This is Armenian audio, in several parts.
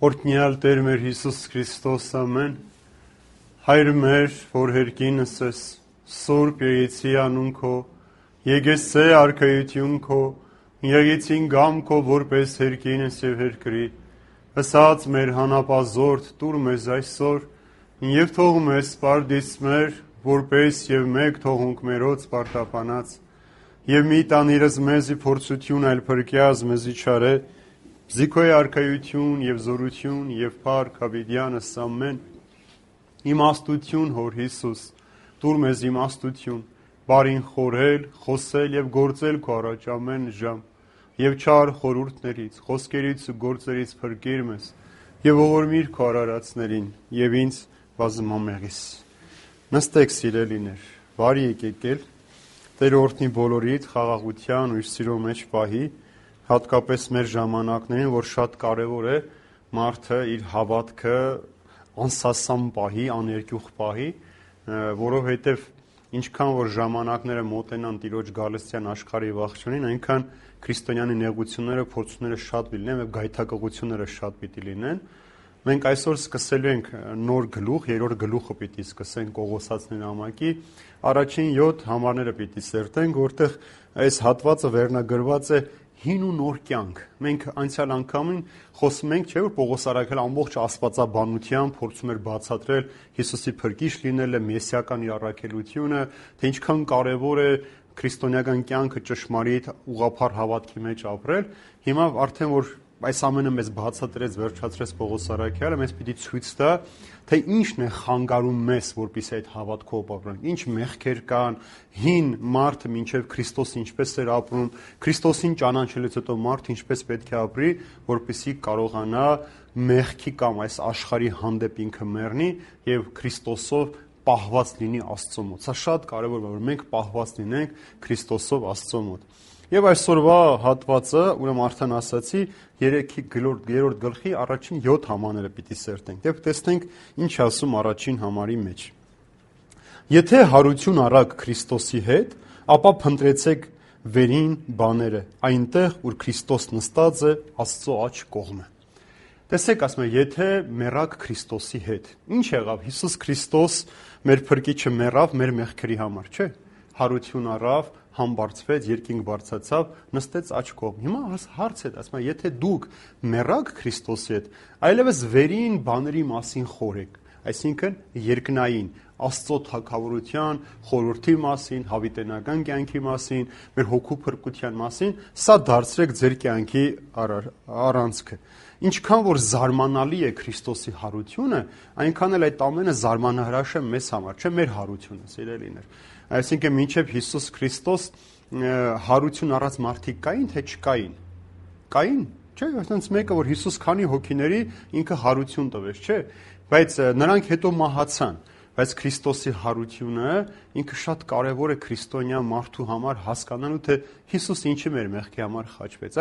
Օրհնյալ Տեր մեր Հիսուս Քրիստոս, ամեն, Հայր մեր, որ հերկինս ես, Սուրբ Եղեցի անուն քո, եկեցե արքայություն քո, եկեցին գամ քո, որպես հերկինս եւ հերկրի, ըսած մեր հանապազորդ տուր մեզ այսօր, եւ թող մեզ սպարդից մեր, որպես եւ մեկ թողունք մերոց պարտապանած, եւ մի տանիրս մեզի փորձություն այլ փրկյազ մեզի չարե, Զիքոյ արքայություն եւ զորություն եւ փառք հավիտյանս ամեն իմաստություն հոր Հիսուս տուր մեզ իմաստություն բարին խորել խոսել եւ գործել քո առաջ ամեն ժամ եւ չար խորհուրդներից խոսքերից ու գործերից փրկիր մեզ եւ ողորմիր քո արարածներին եւ ինձ բազմամեղիս նստեք սիրելիներ բարի եկեք Տեր օրհնի բոլորիդ խաղաղության ու իր սիրո մեջ պահի հատկապես մեր ժամանակներին, որ շատ կարևոր է մարդը իր հավատքը անսասան պահի, աներկյուղ պահի, որովհետև ինչքան որ ժամանակները մոտենան Տիրոջ գալստյան աշխարհի ողջունին, այնքան քրիստոնյանի նեղությունները, փորձությունները շատ լինեն եւ գայթակղությունները շատ պիտի լինեն։ Մենք այսօր սկսելու ենք նոր գլուխ, երրորդ գլուխը պիտի սկսենք Կողոսացների նամակի, առաջին 7 համարները պիտի սերտենք, որտեղ այս հատվածը վերնագրված է հին ու նոր կյանք։ Մենք անցյալ անգամին խոսում ենք, չէ՞ որ Պողոս առաքյալը ամբողջ աստվածաբանությամբ փորձում էր բացատրել Հիսուսի փրկիչ լինելը, մեսիական իր առաքելությունը, թե ինչքան կարևոր է քրիստոնեական կյանքը ճշմարիտ ուղղափառ հավատքի մեջ ապրել։ Հիմա արդեն որ այս ամենը մեզ բացատրեց, վերջացրեց Պողոս առաքյալը, մեզ պիտի ցույց տա, թե ինչն է խանգարում մեզ, որպեսզի այդ հավատքով ապրենք, ինչ մեղքեր կան, հին մարդը մինչև Քրիստոսը ինչպես էր ապրում, Քրիստոսին ճանաչելուց հետո մարդը ինչպես պետք է ապրի, որպեսզի կարողանա մեղքի կամ այս աշխարհի հանդեպ ինքը մեռնի եւ Քրիստոսով պահված լինի Աստծո մոտ։ Սա շատ կարևոր է, որ մենք պահված լինենք Քրիստոսով Աստծո մոտ։ Եվ այսօրվա հատվածը, ուրեմն արդեն ասացի, 3-րդ գլխի առաջին 7 համարները պիտի սերտենք։ Եվ տեսնենք ինչ ասում առաջին համարի մեջ։ Եթե հարություն առաք Քրիստոսի հետ, ապա փնտրեցեք վերին բաները, այնտեղ, ուր Քրիստոս նստած է Աստծո աջ կողմը։ Տեսեք, ասում է, եթե մեռակ Քրիստոսի հետ, ինչ եղավ։ Հիսուս Քրիստոս մեր փրկիչը մեռավ մեր մեղքերի համար, չէ՞։ Հարություն առավ, համբարձվեց, երկինք բարձրացավ, նստեց աջ կողմ։ Հիմա հարց է, ասում է, եթե դուք մեռաք Քրիստոսի հետ, այլևս վերին բաների մասին խորհեք, այսինքն երկնային, Աստծո թագավորության, խորհրդի մասին, հավիտենական կյանքի մասին, մեր հոգու փրկության մասին, սա դարձրեք ձեր կյանքի առանցքը։ Ինչքան որ զարմանալի է Քրիստոսի հարությունը, այնքան էլ այդ ամենը զարմանահրաշ է մեզ համար, չէ՞ մեր հարությունը, սիրելիներ։ Այսինքն մինչև Հիսուս Քրիստոս հարություն առած մարդիկ կային, թե չկային։ Կային, չէ՞, այսինքն մեկը որ Հիսուս քանի հոգիների ինքը հարություն տվեց, չէ՞, բայց նրանք հետո մահացան։ Բայց Քրիստոսի հարությունը ինքը շատ կարևոր է քրիստոնյա մարդու համար հասկանալու, թե Հիսուս ինչի մեր մեղքի համար խաչվեց։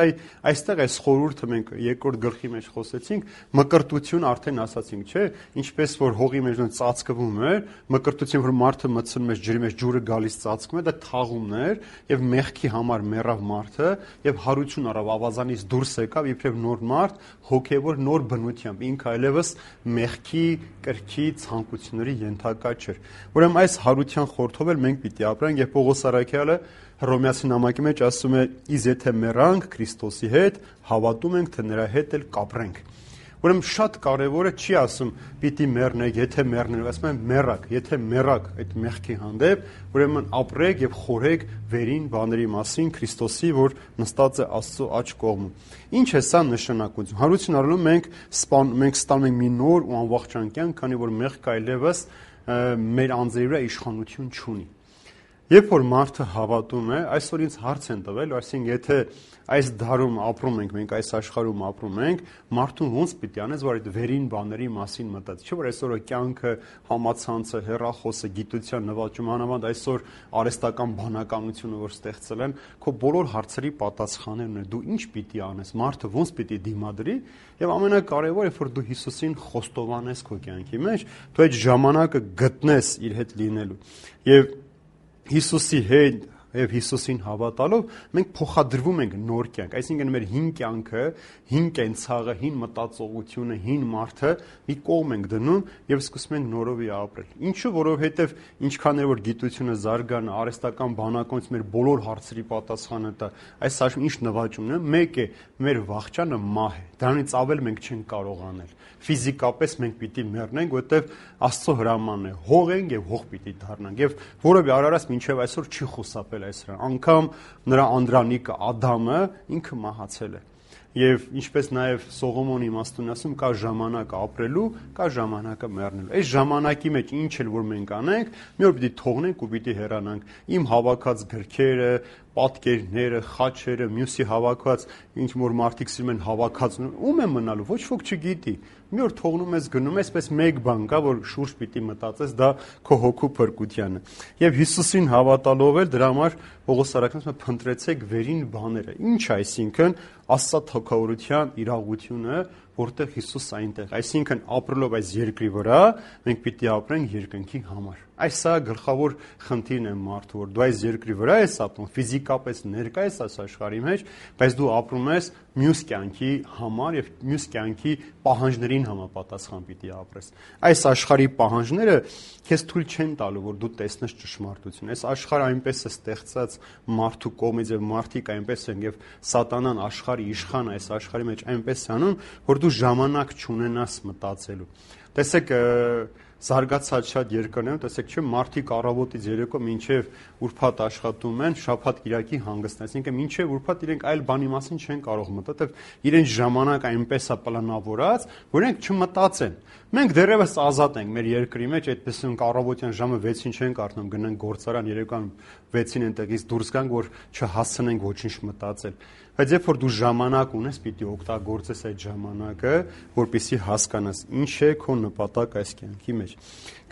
Այստեղ այս խորհուրդը մենք երկրորդ գլխի մեջ խոսեցինք, մկրտություն արդեն ասացինք, չէ՞, ինչպես որ հողի մեջ ծածկվում էր, մկրտություն որ մարդը մտցնում է ջրի մեջ, ջուրը գալիս ծածկում է, դա թաղումն էր, եւ մեղքի համար մեռավ մարդը, եւ հարություն առավ, ավազանից դուրս եկավ, իբրև նոր մարդ, հոգեվոր նոր բնությամբ, ինքը այլևս մեղքի կրքի ցանկությունների ենթակա չէր։ Ուրեմն այս հարության խորթով էլ մենք պիտի ապրենք, եւ Պողոս առաքյալը Հռոմեացի նամակի մեջ ասում է. «Իս եթե մեռանք Քրիստոսի հետ, հավատում ենք, թե նրա հետ էլ կապրենք»։ Ուրեմն շատ կարևոր է, չի ասում պիտի մեռնեք, եթե մեռնեք, ասում է մեռակ, եթե մեռակ այդ մեղքի հանդեպ, ուրեմն ապրեք եւ խորհեք վերին բաների մասին Քրիստոսի, որ նստած է Աստծո աջ կողմում։ Ինչ է սա նշանակություն։ Հարություն առնելու մենք ստանում ենք մի նոր ու անվախճան կյանք, քանի որ մեղքը այլևս մեր անձերի վրա իշխանություն չունի։ Երբ որ մարդը հավատում է, այսօր ինձ հարց են տվել, այսինքն եթե այս դարում ապրում ենք, մենք այս աշխարհում ապրում ենք, մարդուն ոնց պիտի անես, որ այդ վերին բաների մասին մտածի, չէ՞ որ այսօր կյանքը, համացանցը, հեռախոսը, գիտության նվաճումը, անավանդ այսօր արհեստական բանականությունը, որ ստեղծել են, քո բոլոր հարցերի պատասխաններն են, դու ինչ պիտի անես, մարդը ոնց պիտի դիմադրի, եւ ամենակարևորը, որ դու Հիսուսին խոստովանես քո կյանքի մեջ, դու այդ ժամանակը գտնես իր հետ լինելու։ Եվ Հիսուսի հետ եւ Հիսուսին հավատալով մենք փոխադրվում ենք նոր կյանք, այսինքն մեր հին կյանքը, հին կենցաղը, հին մտածողությունը, հին մարդը մի կողմ ենք դնում եւ սկսում ենք նորովի ապրել։ Ինչու? Որովհետեւ ինչքան որ գիտությունը զարգանա, արհեստական բանականից մեր բոլոր հարցերի պատասխանը տա, այս աշխարհում ինչ նվաճումն է, մեկ է, մեր վախճանը մահ է։ Դրանից ավել մենք չենք կարող անել։ Ֆիզիկապես մենք պիտի մեռնենք, որովհետև Աստծո հրամանն է, հող ենք եւ հող պիտի դառնանք։ Եվ որովի արարած մինչեւ այսօր չի խուսափել այս հրան։ Անկամ նրա անդրանիկը Ադամը ինքը մահացել է։ Եվ ինչպես նաև Սողոմոնի իմաստուն ասում, կա ժամանակ ապրելու, կա ժամանակը մեռնելու։ Այս ժամանակի մեջ ինչ էլ որ մենք անենք, մի օր պիտի թողնենք ու պիտի հեռանանք։ Իմ հավաքած գրքերը, պատկերները, խաչերը, մյուսի հավաքած ինչ որ մարդիկ սիրում են հավաքած, ում է մնալու, ոչ ոք չգիտի։ Մի օր թողնում ես գնում ես, պես մեկ բան կա, որ շուրջ պիտի մտածես, դա քո հոգու փրկությանը։ Եվ Հիսուսին հավատալով էլ դրա համար Պողոս առաքյալը փնտրեցեք վերին բաները։ Ինչ այսինքն Աստծո թագավորության իրողությունը, որտեղ Հիսուս այնտեղ, այսինքն ապրելով այս երկրի վրա, մենք պիտի ապրենք երկնքի համար։ Այս սա գլխավոր խնդիրն է մարդու, որ դու այս երկրի վրա ես ապրում, ֆիզիկապես ներկա ես այս աշխարհի մեջ, բայց դու ապրում ես մյուս կյանքի համար եւ մյուս կյանքի պահանջներին համապատասխան պիտի ապրես։ Այս աշխարհի պահանջները քեզ թույլ չեն տալու, որ դու տեսնես ճշմարտություն։ Այս աշխարհը այնպես է ստեղծած մարդու կողմից եւ մարդիկ այնպես են եւ սատանան աշխարհի իշխանը այս աշխարհի մեջ այնպես անում, որ դու ժամանակ չունենաս մտածելու։ Տեսեք, զարգացած շատ երկրներում, տեսեք, չէ, մարդիկ առավոտից երեկո մինչև ուրբաթ աշխատում են, շաբաթ կիրակի հանգստն, այսինքն մինչև ուրբաթ իրենք այլ բանի մասին չեն կարող մտածել, իրենց ժամանակ այնպես է պլանավորած, որ իրենք չմտածեն։ Մենք դեռևս ազատ ենք մեր երկրի մեջ, այդպես ենք առավոտյան ժամը 6-ին չենք արթնում, գնանք գործարան, երեկոյան 6-ին այնտեղից դուրս գանք, որ չհասցնենք ոչինչ մտածել։ Բայց երբ որ դու ժամանակ ունես, պիտի օգտագործես այդ ժամանակը, որպեսզի հասկանաս ինչ է քո նպատակ այս կյանքի մեջ։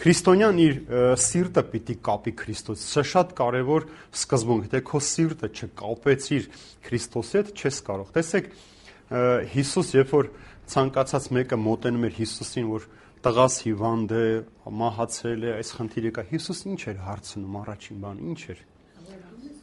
Քրիստոնյան իր սիրտը պիտի կապի Քրիստոս։ Սա շատ կարևոր սկզբունք է, թե քո սիրտը չկապեցիր Քրիստոսի հետ, չես կարող։ Տեսեք, Հիսուս, երբ որ ցանկացած մեկը մոտենում էր Հիսուսին, որ տղաս հիվանդ է, մահացել է, այս խնդիրը կա, Հիսուս ինչ էր հարցնում, առաջին բան, ինչ էր։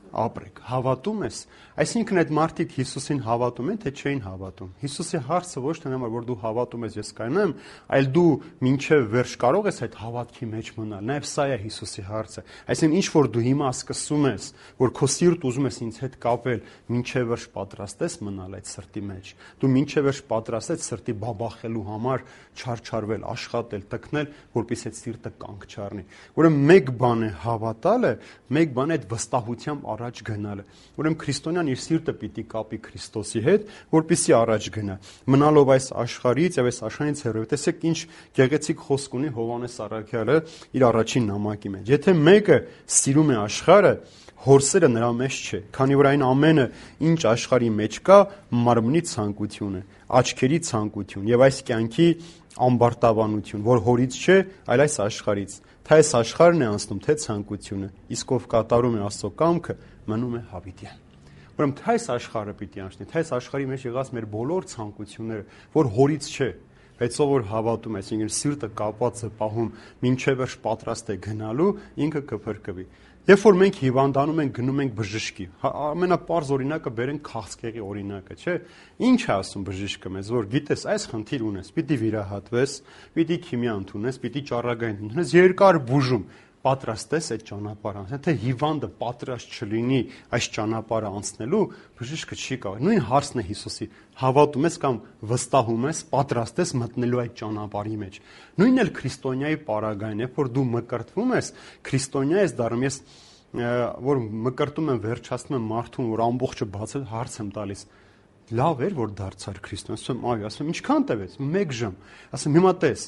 Ապրեք, հավատում ես, այսինքն այդ մարդիկ Հիսուսին հավատում են, թե չէին հավատում։ Հիսուսի հարցը ոչ թե նամար, որ դու հավատում ես, ես կայնեմ, այլ դու մինչև վերջ կարող ես այդ հավատքի մեջ մնալ։ Նաև սա է Հիսուսի հարցը։ Այսինքն ինչ որ դու հիմա սկսում ես, որ քո սիրտ ուզում ես ինձ հետ կապել, մինչև վերջ պատրաստ ես մնալ այդ սրտի մեջ։ Դու մինչև վերջ պատրաստ ես սրտի բաբախելու համար չարչարվել, աշխատել, տկնել, որպեսզի այդ սիրտը կանգ չառնի։ Ուրեմն մեկ բան է հավատալը, մեկ բան է այդ վստահությամբ առաջ գնալը։ Ուրեմն քրիստոնյան իր սիրտը պիտի կապի Քրիստոսի հետ, որպեսզի առաջ գնա։ Մնալով այս աշխարհից եւ այս աշխարհից հեռու։ Տեսեք ինչ գեղեցիկ խոսք ունի Հովհաննես առաքյալը իր առաջին նամակի մեջ։ Եթե մեկը սիրում է աշխարհը, հորսերը նրա մեջ չէ, քանի որ այն ամենը, ինչ աշխարհի մեջ կա, մարմնի ցանկություն է, աչքերի ցանկություն եւ այս կյանքի ամբարտավանություն, որ հորից չէ, այլ այս աշխարհից։ Թե այս աշխարհն է անցնում, թե ցանկությունը, իսկ ով կատարում է Աստծո կամքը, մնում է հավիտյան։ Ուրեմն թե այս աշխարհը պիտի անցնի, թե այս աշխարհի մեջ եղած մեր բոլոր ցանկությունները, որ հորից չէ, բայց ով որ հավատում է, այսինքն սիրտը կապված է պահում, մինչև վերջ պատրաստ է գնալու, ինքը կփրկվի։ Երբ որ մենք հիվանդանում ենք, գնում ենք բժշկի, ամենապարզ օրինակը բերենք քաղցկեղի օրինակը, չէ՞։ Ինչ է ասում բժիշկը մեզ, որ գիտես, այս խնդիր ունես, պիտի վիրահատվես, պիտի քիմիա ընդունես, պիտի ճառագայթ ընդունես, երկար բուժում, պատրաստ ես այդ ճանապարհը անցնել, թե հիվանդը պատրաստ չլինի այս ճանապարհը անցնելու, բժիշկը չի կարող։ Նույն հարցն է Հիսուսի, հավատում ես կամ վստահում ես, պատրաստ ես մտնելու այդ ճանապարհի մեջ։ Նույնն էլ քրիստոնյայի պարագային է, որ դու մկրտվում ես, քրիստոնյա ես դառնում, ես որ մկրտում եմ, վերջացնում եմ մարդուն, որ ամբողջը բացել, հարց եմ տալիս։ Լավ էր, որ դարձար քրիստոնյա, ասում եմ, այո, ասում եմ, ինչքան տևեց, 1 ժամ։ Ասում հիմա տես,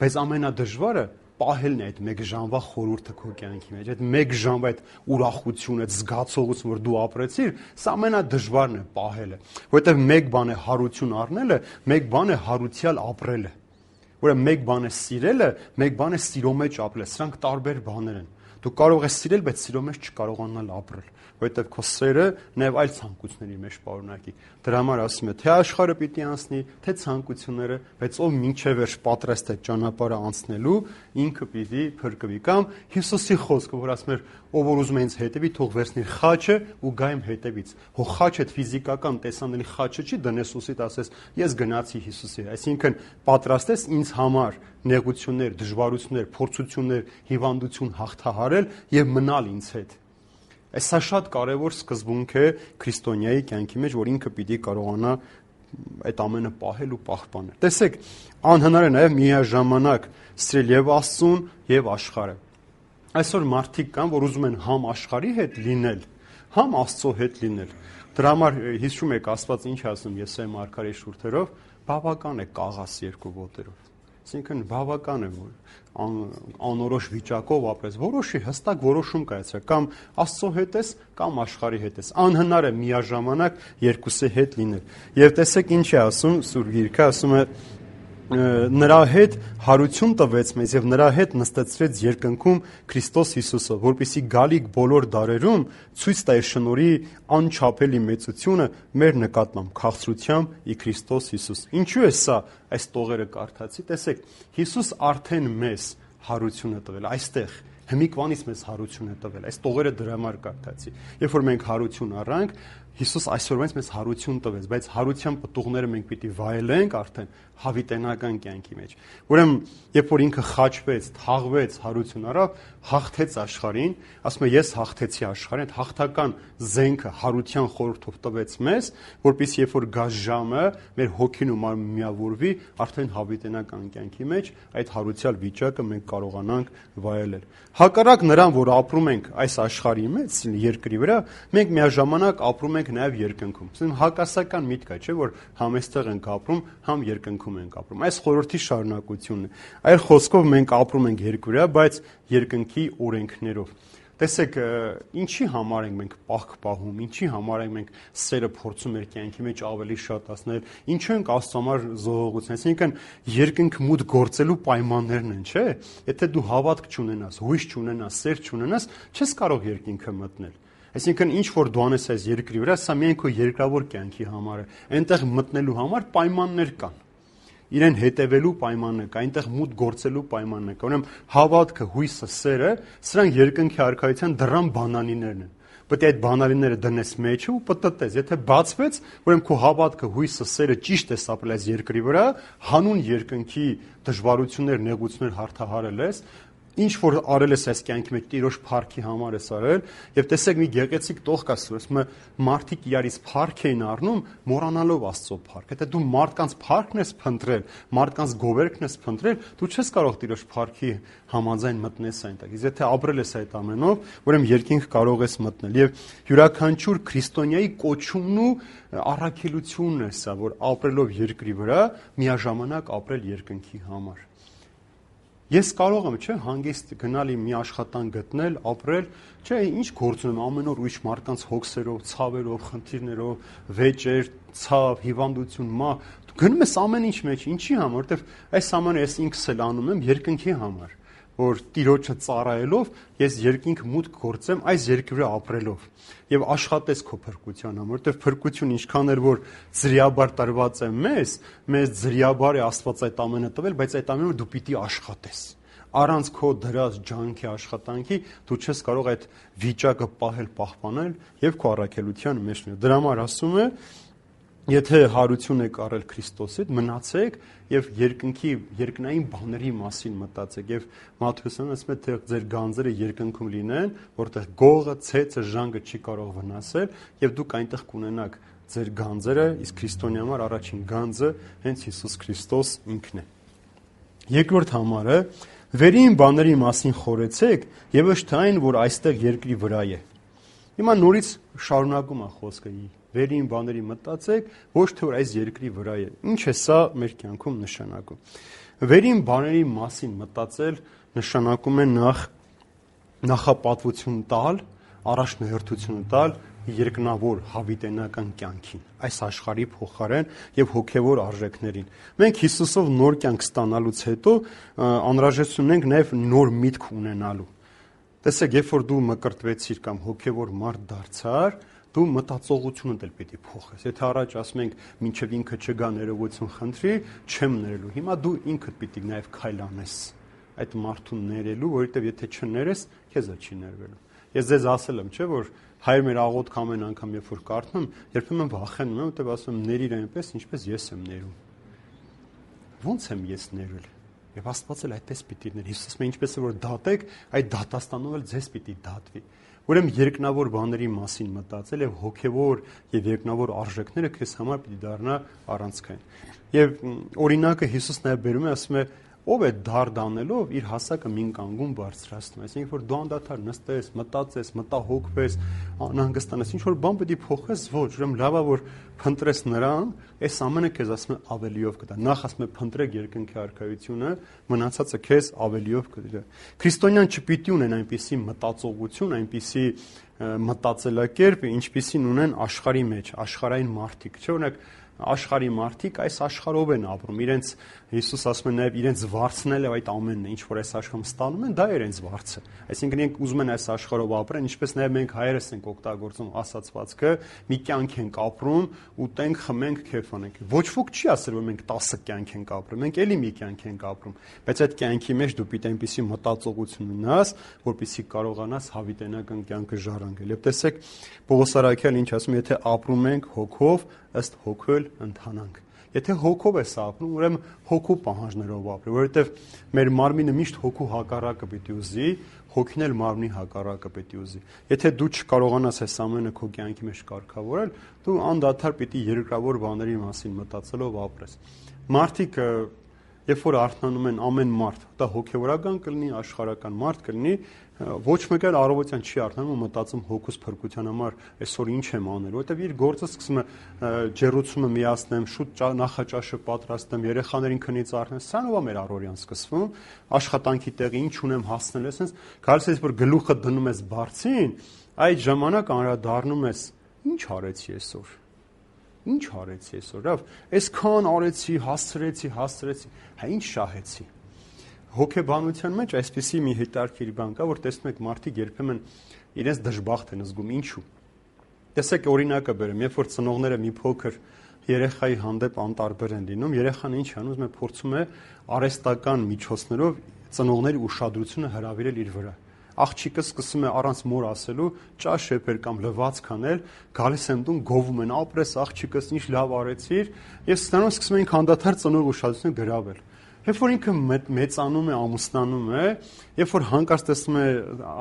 բայց ամենադժվարը պահելն է այդ 1 ժամվա խորհուրդը քո կյանքի մեջ, այդ 1 ժամվա այդ ուրախությունը, այդ զգացողությունը, որ դու ապրեցիր, սա ամենադժվարն է պահելը, որովհետև 1 բան է հարություն առնելը, 1 բան է հարությամբ ապրելը։ Ուրեմն 1 բան է սիրելը, 1 բան է սիրո մեջ ապրելը, սրանք տարբեր բաներ են։ Դու կարող ես սիրել, բայց սիրո մեջ չկարողանալ ապրել, որովհետև քո սերը նաև այլ ցանկությունների մեջ պարունակի։ Դրա համար ասում է, թե աշխարհը պիտի անցնի, թե ցանկությունները, բայց ով մինչև վերջ պատրաստ է ճանապարհը անցնելու, ինքը պիտի փրկվի։ Կամ Հիսուսի խոսքը, որ ասում էր, ով որ ուզում է ինձ հետևի, թող վերցնի խաչը ու գա իմ հետևից։ Հո խաչը ֆիզիկական տեսանելի խաչը չի, դնես ուսիդ ասես, ես գնացի Հիսուսի, այսինքն պատրաստ ես ինձ համար նեղություններ, դժվարություններ, փորձություններ, հիվանդություն հաղթահարել եւ մնալ ինձ հետ։ Սա շատ կարևոր սկզբունք է քրիստոնյայի կյանքի մեջ, որ ինքը պիտի կարողանա այդ ամենը պահել ու պահպանել։ Տեսեք, անհնար է նաև միաժամանակ սիրել եւ Աստծուն եւ աշխարհը։ Այսօր մարդիկ կան, որ ուզում են համ աշխարհի հետ լինել, համ Աստծո հետ լինել։ Դրա համար հիշում եք Աստված ինչ ասում Եսայի մարգարեի շուրթերով, բավական է կաղաս երկու ոտերով։ Այսինքն բավական է, որ անորոշ վիճակով ապրես, որոշի հստակ որոշում կայացրա, կամ Աստծո հետ ես, կամ աշխարհի հետ ես։ Անհնար է միաժամանակ երկուսի հետ լինել։ Եվ տեսեք ինչ է ասում Սուրբ Գիրքը, ասում է նրա հետ հարություն տվեց մեզ եւ նրա հետ նստեցրեց երկնքում Քրիստոս Հիսուսը, որպեսզի գալիք բոլոր դարերում ցույց տա իր շնորհի անչափելի մեծությունը մեր նկատմամբ քաղցրությամբ ի Քրիստոս Հիսուս։ Ինչու է սա այս տողերը կարդացի, տեսեք, Հիսուս արդեն մեզ հարություն է տվել այստեղ, հմիկվանից մեզ հարություն է տվել, այս տողերը դրա համար կարդացի։ Երբ որ մենք հարություն առանք, Հիսուս այսօրվանից մեզ հարություն տվեց, բայց հարության պտուղները մենք պիտի վայելենք արդեն հավիտենական կյանքի մեջ։ Ուրեմն, երբ որ ինքը խաչվեց, թաղվեց, հարություն առավ, հաղթեց աշխարհին, ասում է ես հաղթեցի աշխարհին, այդ հաղթական զենքը հարության խորհրդով տվեց մեզ, որպեսզի երբ որ գա ժամը, մեր հոգին ու մարմինը միավորվի, արդեն հավիտենական կյանքի մեջ այդ հարության վիճակը մենք կարողանանք վայելել։ Հակառակ նրան, որ ապրում ենք այս աշխարհի մեջ, երկրի վրա, մենք միաժամանակ ապրում ենք նաև երկնքում։ Հակասական միտք է, չէ՞, որ համ այստեղ ենք ապրում, համ երկնքում ենք ապրում։ Այս խորհրդի շարունակությունն է։ Այլ խոսքով մենք ապրում ենք երկրի վրա, բայց երկնքի օրենքներով։ Տեսեք, ինչի համար ենք մենք պահք պահում, ինչի համար ենք մենք սերը փորձում մեր կյանքի մեջ ավելի շատացնել, ինչու ենք Աստծո համար զոհողություն, այսինքն երկնք մուտք գործելու պայմաններն են, չէ՞։ Եթե դու հավատք չունենաս, հույս չունենաս, սեր չունենաս, չես կարող երկինքը մտնել։ Այսինքն ինչ որ դու անես այս երկրի վրա, սա միայն քո երկրավոր կյանքի համար է։ Այնտեղ մտնելու համար պայմաններ կան։ Իրեն հետևելու պայմաններ կա, այնտեղ մուտք գործելու պայմաններ կա։ Ուրեմն հավատքը, հույսը, սերը, սրանք երկնքի արքայության դռան բանալիներն են։ Պետք է այդ բանալիները դնես մեջը ու պտտես։ Եթե բացվեց, ուրեմն քո հավատքը, հույսը, սերը ճիշտ է ապրել այս երկրի վրա, հանուն երկնքի դժվարություններ, նեղություններ հաղթահարել ես, ինչ որ արել ես այս կյանքի մեջ Տիրոջ փառքի համար ես արել, եւ տեսեք մի գեղեցիկ տող կա ասում է մարդիկ իրարից փառք էին առնում մոռանալով Աստծո փառք։ Եթե դու մարդկանց փառքն ես փնտրել, մարդկանց գովերքն ես փնտրել, դու չես կարող Տիրոջ փառքի համաձայն մտնես այնտեղ։ Իսկ եթե ապրել ես այդ ամենով, ուրեմն երկինք կարող ես մտնել։ Եվ յուրաքանչյուր քրիստոնյայի կոչումն ու առաքելությունն է սա, որ ապրելով երկրի վրա միաժամանակ ապրել երկնքի համար։ Ես կարող եմ, չէ, հանգիստ գնալ մի աշխատանք գտնել, ապրել, չէ, ինչ գործ ունեմ ամեն օր ուրիշ մարդկանց հոգսերով, ցավերով, խնդիրներով, վեճեր, ցավ, հիվանդություն, մահ, դու գնում ես ամեն ինչ մեջ, ինչի համար, որովհետև այս ամենը ես ինքս էլ անում եմ երկնքի համար, որ Տիրոջը ծառայելով ես երկինք մուտք գործեմ այս երկրի վրա ապրելով եւ աշխատես քո փրկության համար, որովհետեւ փրկություն ինչքան էր որ զրիաբար տրված է մեզ զրիաբար է Աստված այդ ամենը տվել, բայց այդ ամենը դու պիտի աշխատես։ Առանց քո դրած ջանքի աշխատանքի դու չես կարող այդ վիճակը պահել, պահպանել եւ քո առաքելության մեջ լինել։ Դրա համար ասում է, եթե հարություն եք առել Քրիստոսից, մնացեք եւ երկնային բաների մասին մտածեք եւ Մատթեոսն ասում է թե ձեր գանձերը երկնքում լինեն, որտեղ գողը, ցեցը, ժանգը չի կարող վնասել եւ դուք այնտեղ կունենաք ձեր գանձերը, իսկ քրիստոնյա համար առաջին գանձը հենց Հիսուս Քրիստոս ինքն է։ Երկրորդ համարը վերին բաների մասին խորեցեք եւ ոչ թե այն, որ այստեղ երկրի վրա է։ Հիմա նորից շարունակում է խոսքը վերին բաների մտածեք, ոչ թե որ այս երկրի վրա է։ Ինչ է սա մեր կյանքում նշանակում։ Վերին բաների մասին մտածել նշանակում է նախապատվություն տալ, առաջնահերթություն տալ երկնավոր հավիտենական կյանքին, այս աշխարհի փոխարեն եւ հոգեվոր արժեքներին։ Մենք Հիսուսով նոր կյանք ստանալուց հետո անհրաժեշտություն ունենք նաեւ նոր միտք ունենալու։ Տեսեք, երբ որ դու մկրտվեցիր կամ հոգևոր մարդ դարձար, դու մտածողությունը դել պիտի փոխես։ Եթե առաջ ասում ենք, մինչև ինքը չգա ներողություն խնդրի, չեմ ներելու։ Հիմա դու ինքդ պիտի նաև քայլ անես այդ մարդուն ներելու, որովհետև եթե չներես, քեզ չի ներվելու։ Ես ձեզ ասել եմ, չէ՞, որ հայր մեր աղոթք ամեն անգամ երբ որ կարդում, երբեմն վախենում եմ, որովհետև ասում եմ, ների այնպես, ինչպես ես եմ ներում։ Ո՞նց եմ ես ներել։ Եվ Աստված էլ այդպես պիտի ներ։ Հիսուսը ասում է, ինչպես որ դատեք, այդ դատաստանով էլ ձեզ պիտի դատվի։ Ուրեմն երկնավոր բաների մասին մտածել եւ հոգեվոր եւ երկնավոր արժեքները քեզ համար պիտի դառնա առանցքային։ Եվ օրինակը Հիսուսն նաև բերում է, ասում է, ով է դարդ անելով իր հասակը մին կանգուն բարձրացնում։ Այսինքն որ դու անդադար նստես, մտածես, մտահոգվես, անհանգստանաս, ինչ որ բան պետք է փոխես, ոչ, ուրեմն լավա որ փնտրես նրան, այս ամենը քեզ ասում է ավելիով կտա։ Նախ ասում է փնտրեք երկնքի արքայությունը, մնացածը քեզ ավելիով կտա։ Քրիստոնյան չպիտի ունեն այնպիսի մտածողություն, այնպիսի մտածելակերպ, ինչպիսին ունեն աշխարհի մեջ, աշխարհային մարդիկ, չէ՞ օրինակ աշխարհի մարդիկ այս աշխարհով են ապրում, իրենց Հիսուս ասում է նաև իրենց վարձնել է այդ ամենն է, ինչ որ այս աշխարհում ստանում են, դա է իրենց վարձը։ Այսինքն իրենք ուզում են այս աշխարհով ապրեն, ինչպես նաև մենք հայերս ենք օգտագործում ասացվածքը, մի կյանք ենք ապրում, ուտենք, խմենք, քեֆ անենք։ Ոչ ոք չի ասել, որ մենք 10 կյանք ենք ապրում, մենք էլի մի կյանք ենք ապրում, բայց այդ կյանքի մեջ դու պիտի այնպիսի մտածողություն ունենաս, որպեսզի կարողանաս հավիտենական կյանքը ժառանգել։ Եվ տեսեք, Պողոս առաքյալն ինչ ասում, եթե ապրում ենք հոգով, ըստ հոգու ընթանանք։ Եթե հոգով ես ապրում, ուրեմն հոգու պահանջներով ապրի, որովհետև մեր մարմինը միշտ հոգու հակառակը պիտի ուզի, հոգին էլ մարմնի հակառակը պիտի ուզի։ Եթե դու չկարողանաս այս ամենը քո կյանքի մեջ կարգավորել, դու անդադար պիտի երկրավոր բաների մասին մտածելով ապրես։ Մարդիկ երբ որ արթնանում են ամեն մարդ, դա հոգևորական կլինի, աշխարհական մարդ կլինի, ոչ մեկ էլ առավոտյան չի արթնանում ու մտածում հոգուս փրկության համար այսօր ինչ եմ անել, որովհետև իր գործը սկսում է ջեռուցումը միացնեմ, շուտ նախաճաշը պատրաստեմ, երեխաներին քնից առնեմ, սրանով է մեր առօրյան սկսվում, աշխատանքի տեղը ինչ ունեմ հասնել ես, հենց գալիս ես որ գլուխը դնում ես բարձին, այդ ժամանակ անդրադառնում ես, ինչ արեցի այսօր։ Ինչ արեցի այսօր, լավ, այսքան արեցի, հասցրեցի, հա ինչ շահեցի։ Հոգեբանության մեջ այսպիսի մի հետաքրքիր բան կա, որ տեսնում եք մարդիկ երբեմն իրենց դժբախտ են զգում, ինչու։ Տեսեք օրինակը բերեմ, երբ որ ծնողները մի փոքր երեխայի հանդեպ անտարբեր են լինում, երեխան ինչ անում, ուզում է փորձում է արհեստական միջոցներով ծնողների ուշադրությունը հրավիրել իր վրա։ Աղջիկը սկսում է առանց մոր ասելու ճաշ շեփել կամ լվացք անել, գալիս են տուն, գովում են, ապրես աղջիկս, ինչ լավ արեցիր, եւ ստանում սկսում են անդադար ծնող ուշադրությունը գրավել։ Երբ որ ինքը մեծանում է, ամուսնանում է, երբ որ հանկարծ տեսնում է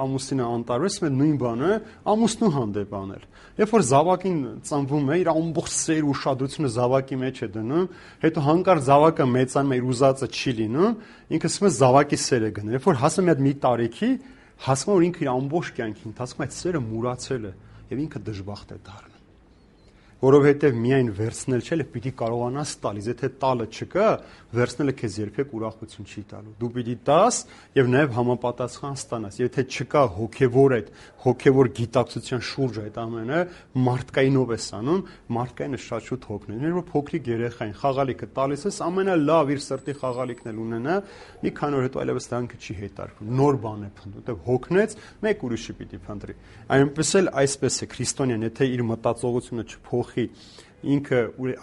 ամուսինը անտարբեր, է նույն բանը ամուսնու հանդեպ անել։ Երբ որ զավակին ծնվում է, իր ամբողջ սեր ուշադրությունը զավակի մեջ է դնում, հետո հանկարծ զավակը մեծանում է, իր ուզածը չի լինում, ինքը սկսում է զավակի սերը գնել։ Երբ որ հասնում է մի տարիքի, հասնում որ ինքը իր ամբողջ կյանքի ընթացքում այդ սերը մուրացել է եւ ինքը դժբախտ է դառնում։ Որովհետև միայն վերցնել չէ, պիտի կարողանաս տալ, եթե տալը չկա, վերցնելը քեզ երբեք ուրախություն չի տալու։ Դու պիտի տաս եւ նաեւ համապատասխան ստանաս։ Եթե չկա հոգեվոր այդ հոգեվոր գիտակցության շուրջ այդ ամենը, մարդկայինով ես անում, մարդկայինը շատ շուտ հոգնել։ Մեր որ փոքրիկ երեխային խաղալիքը տալիս ես, ամենալավ իր սրտի խաղալիքն էլ ունենա, մի քանի օր հետո այլևս դրանքը չի հետարկվում։ Նոր բան է փնտրում, որտեղ հոգնեց, մեկ ուրիշը պիտի փնտրի։ Այնպես էլ այսպես է քրիստոնյան, եթե իր մտածողությունը չփոխի, ինքը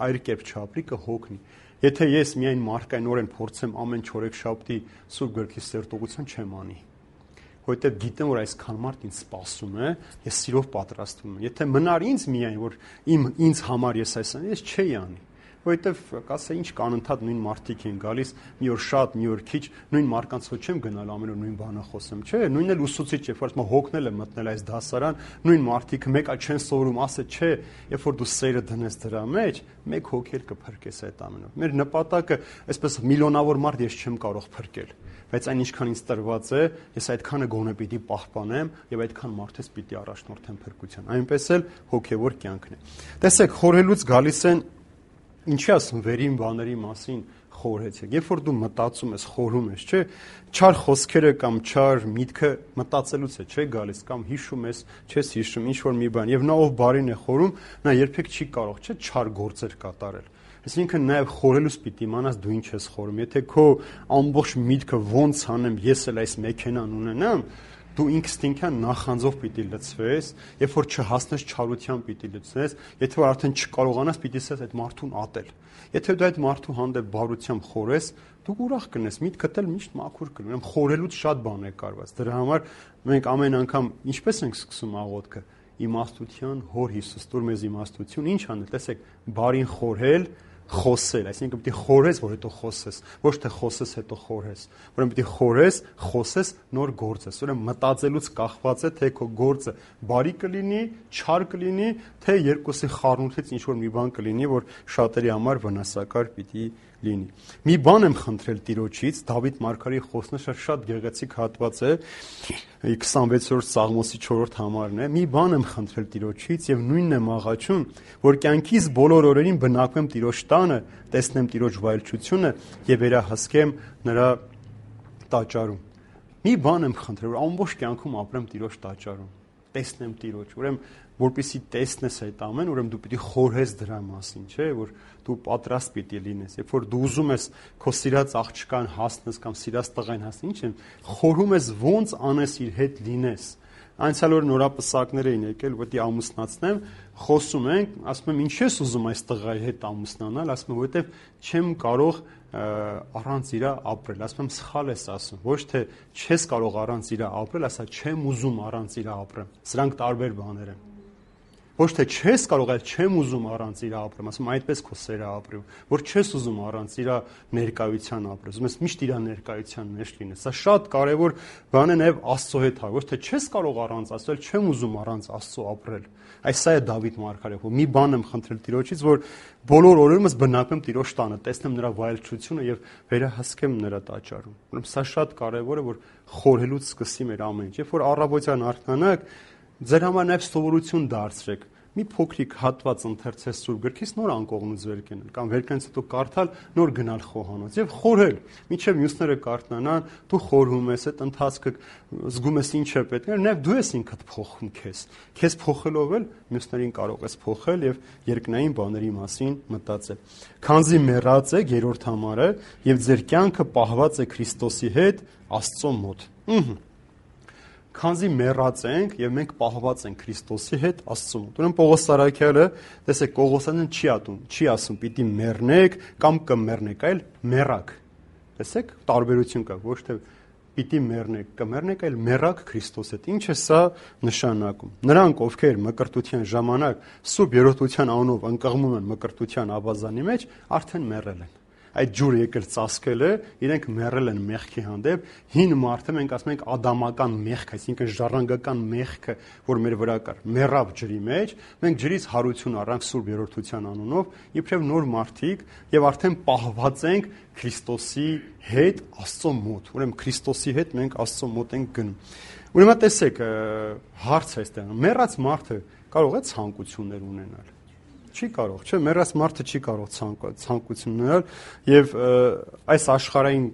այլ կերպ չապրի, կհոգնի։ Եթե ես միայն մարդկայնորեն փորձեմ ամեն չորեքշաբթի Սուրբ Գրքի սերտողություն չեմ անի, որովհետև գիտեմ, որ այսքան մարդ ինձ սպասում է, ես սիրով պատրաստվում եմ։ Եթե մնար ինձ միայն, որ ինձ համար ես այսօր ես չէի անի, որովհետև կասե ինչ կանընդհատ նույն մարդիկ են գալիս, մի օր շատ, մի օր քիչ, նույն մարդկանց ոչ չեմ գնալ ամեն օր նույն բանը խոսեմ, չէ՞, նույնն էլ ուսուցիչ, երբ որ ասում հոգնել է մտնել այս դասարան, նույն մարդիկ մեկը չեն սովորում, ասե չէ, երբ որ դու սերը դնես դրա մեջ, մեկ հոգել կփրկես այդ ամենով։ Մեր նպատակը, այսպես միլիոնավոր մարդ ես չեմ կարող փրկել, բայց այն ինչքան ինձ տրված է, ես այդքանը գոնե պիտի պահպանեմ եւ այդքան մարդես պիտի առաջնորդեմ փրկության։ Այնպես էլ հոգեվոր կյանքն է։ Տեսեք, խորհելուց գալիս են ինչի ասում վերին բաների մասին խորհեցեք։ Երբ որ դու մտածում ես, խորհում ես, չէ, չար խոսքերը կամ չար միտքը մտածելուց է, չէ, գալիս կամ հիշում ես, չես հիշում ինչ որ մի բան, եւ նա ով բարին է խորում, նա երբեք չի կարող, չէ, չար գործեր կատարել։ Այսինքն նաև խորելուց պիտի իմանաս դու ինչ ես խորում։ Եթե քո ամբողջ միտքը ոնց անեմ, ես էլ այս մեքենան ունենամ, դու ինքստինքյան նախանձով պիտի լցվես, երբ որ չհասնես չարության պիտի լցնես, եթե որ արդեն չկարողանաս պիտի ասես այդ մարդուն ատել։ Եթե դու այդ մարդու հանդեպ բարությամբ խորես, դու ուրախ կնես, միտքդ էլ միշտ մաքուր կլինի։ Ուրեմն խորելուց շատ բան է կարված։ Դրա համար մենք ամեն անգամ ինչպես ենք սկսում աղոթքը, իմաստության Հոր Հիսուս, տուր մեզ իմաստություն, ինչ անել, տեսեք, բարին խորհել, խոսել, այսինքն պիտի խորես, որ հետո խոսես, ոչ թե խոսես հետո խորհես։ Ուրեմն պիտի խորես, խոսես, նոր գործես։ Ուրեմն մտածելուց կախված է, թե քո գործը բարի կլինի, չար կլինի, թե երկուսի խառնուրդից ինչ որ մի բան կլինի, որ շատերի համար վնասակար պիտի լինի։ Մի բան եմ խնդրել Տիրոջից, Դավիթ մարգարեի խոսնաշը շատ գեղեցիկ հատված է, 26-րդ Սաղմոսի 4-րդ համարն է։ Մի բան եմ խնդրել Տիրոջից եւ նույնն եմ աղաչում, որ կյանքիս բոլոր օրերին բնակվեմ Տիրոջ տանը, տեսնեմ Տիրոջ վայելչությունը եւ վերահսկեմ նրա տաճարում։ Մի բան եմ խնդրել, որ ամբողջ կյանքում ապրեմ Տիրոջ տաճարում, տեսնեմ Տիրոջ։ Ուրեմն որպեսզի տեսնես այդ ամեն, ուրեմն դու պիտի խորհես դրա մասին, չէ՞, որ դու պատրաստ պիտի լինես։ Երբ որ դու ուզում ես քո սիրած աղջկան հասնես կամ սիրած տղային հասնես, ինչ են, խորհում ես ոնց անես իր հետ լինես։ Անցյալ օր նորապսակներ էին եկել, որտի ամուսնացնեմ, խոսում ենք, ասում եմ, ինչ ես ուզում այս տղայի հետ ամուսնանալ, ասում եմ, որովհետև չեմ կարող առանց իրա ապրել, ասում եմ, սխալ ես ասում, ոչ թե չես կարող առանց իրա ապրել, ասա չեմ ուզում առանց իրա ապրեմ։ Սրանք տարբեր բաներ են։ Ոչ թե չես կարող, այլ չեմ ուզում առանց իրա ապրեմ, ասում այդպես քո սերը ապրում, որ չես ուզում առանց իրա ներկայության ապրել, ուզում ես միշտ իրա ներկայության մեջ լինես։ Սա շատ կարևոր բան է նաև Աստծո հետ, ոչ թե չես կարող առանց Աստծո, այլ չեմ ուզում առանց Աստծո ապրել։ Այս սա է Դավիթ մարգարեը, որ մի բան եմ խնդրել Տիրոջից, որ բոլոր օրերումս բնակվեմ Տիրոջ տանը, տեսնեմ նրա վայելչությունը եւ վերահսկեմ նրա տաճարում։ Ուրեմն սա շատ կարևոր է, որ խորհելուց սկսի մեր ամեն ինչ։ Երբ որ առավոտյան արթնանաք, ձեր համար նաև սովորություն դարձրեք։ Մի փոքրիկ հատված ընթերցես Սուրբ գրքից, նոր անկողնուց վեր կենել կամ վերքանից հետո կարդալ, նոր գնալ խոհանոց եւ խորհել։ Մինչեւ մյուսները կարդանան, դու խորհում ես, այդ ընթացքը զգում ես ինչ է պետք, նաեւ դու ես ինքդ փոխում քեզ։ Քեզ փոխելով էլ մյուսներին կարող ես փոխել եւ երկնային բաների մասին մտածել։ Քանզի մեռած եք, երրորդ համարը, եւ ձեր կյանքը պահված է Քրիստոսի հետ Աստծո մոտ։ Քանզի մեռած ենք եւ մենք պահված ենք Քրիստոսի հետ Աստծո մոտ։ Ուրեմն Պողոս Սարաքյալը, տեսեք, Կողոսյանն չի ասում պիտի մեռնեք կամ կմեռնեք, այլ մեռակ։ Տեսեք, տարբերություն կա, ոչ թե պիտի կմեռնեք, այլ մեռակ Քրիստոս հետ։ Ինչ է սա նշանակում։ Նրանք, ովքեր մկրտության ժամանակ սուրբ երրորդության անունով ընկղմում են մկրտության ավազանի մեջ, արդեն մեռել են։ Այդ ջուրը եկել ծածկել է, իրենք մեռել են մեղքի հանդեպ, հին մարդը մենք ասում ենք ադամական մեղք, այսինքն ժառանգական մեղքը, որ մեր վրա կար, մեռավ ջրի մեջ, մենք ջրից հարություն առանք սուրբ երրորդության անունով, իբրև նոր մարդիկ եւ արդեն պահված ենք Քրիստոսի հետ Աստծո մոտ։ Ուրեմն Քրիստոսի հետ մենք Աստծո մոտ ենք գնում։ Ուրեմն տեսեք, հարց է այստեղ, մեռած մարդը կարող է ցանկություններ ունենալ։ Չի կարող, չէ, մեռած մարդը չի կարող ցանկություն ունենալ եւ այս աշխարհային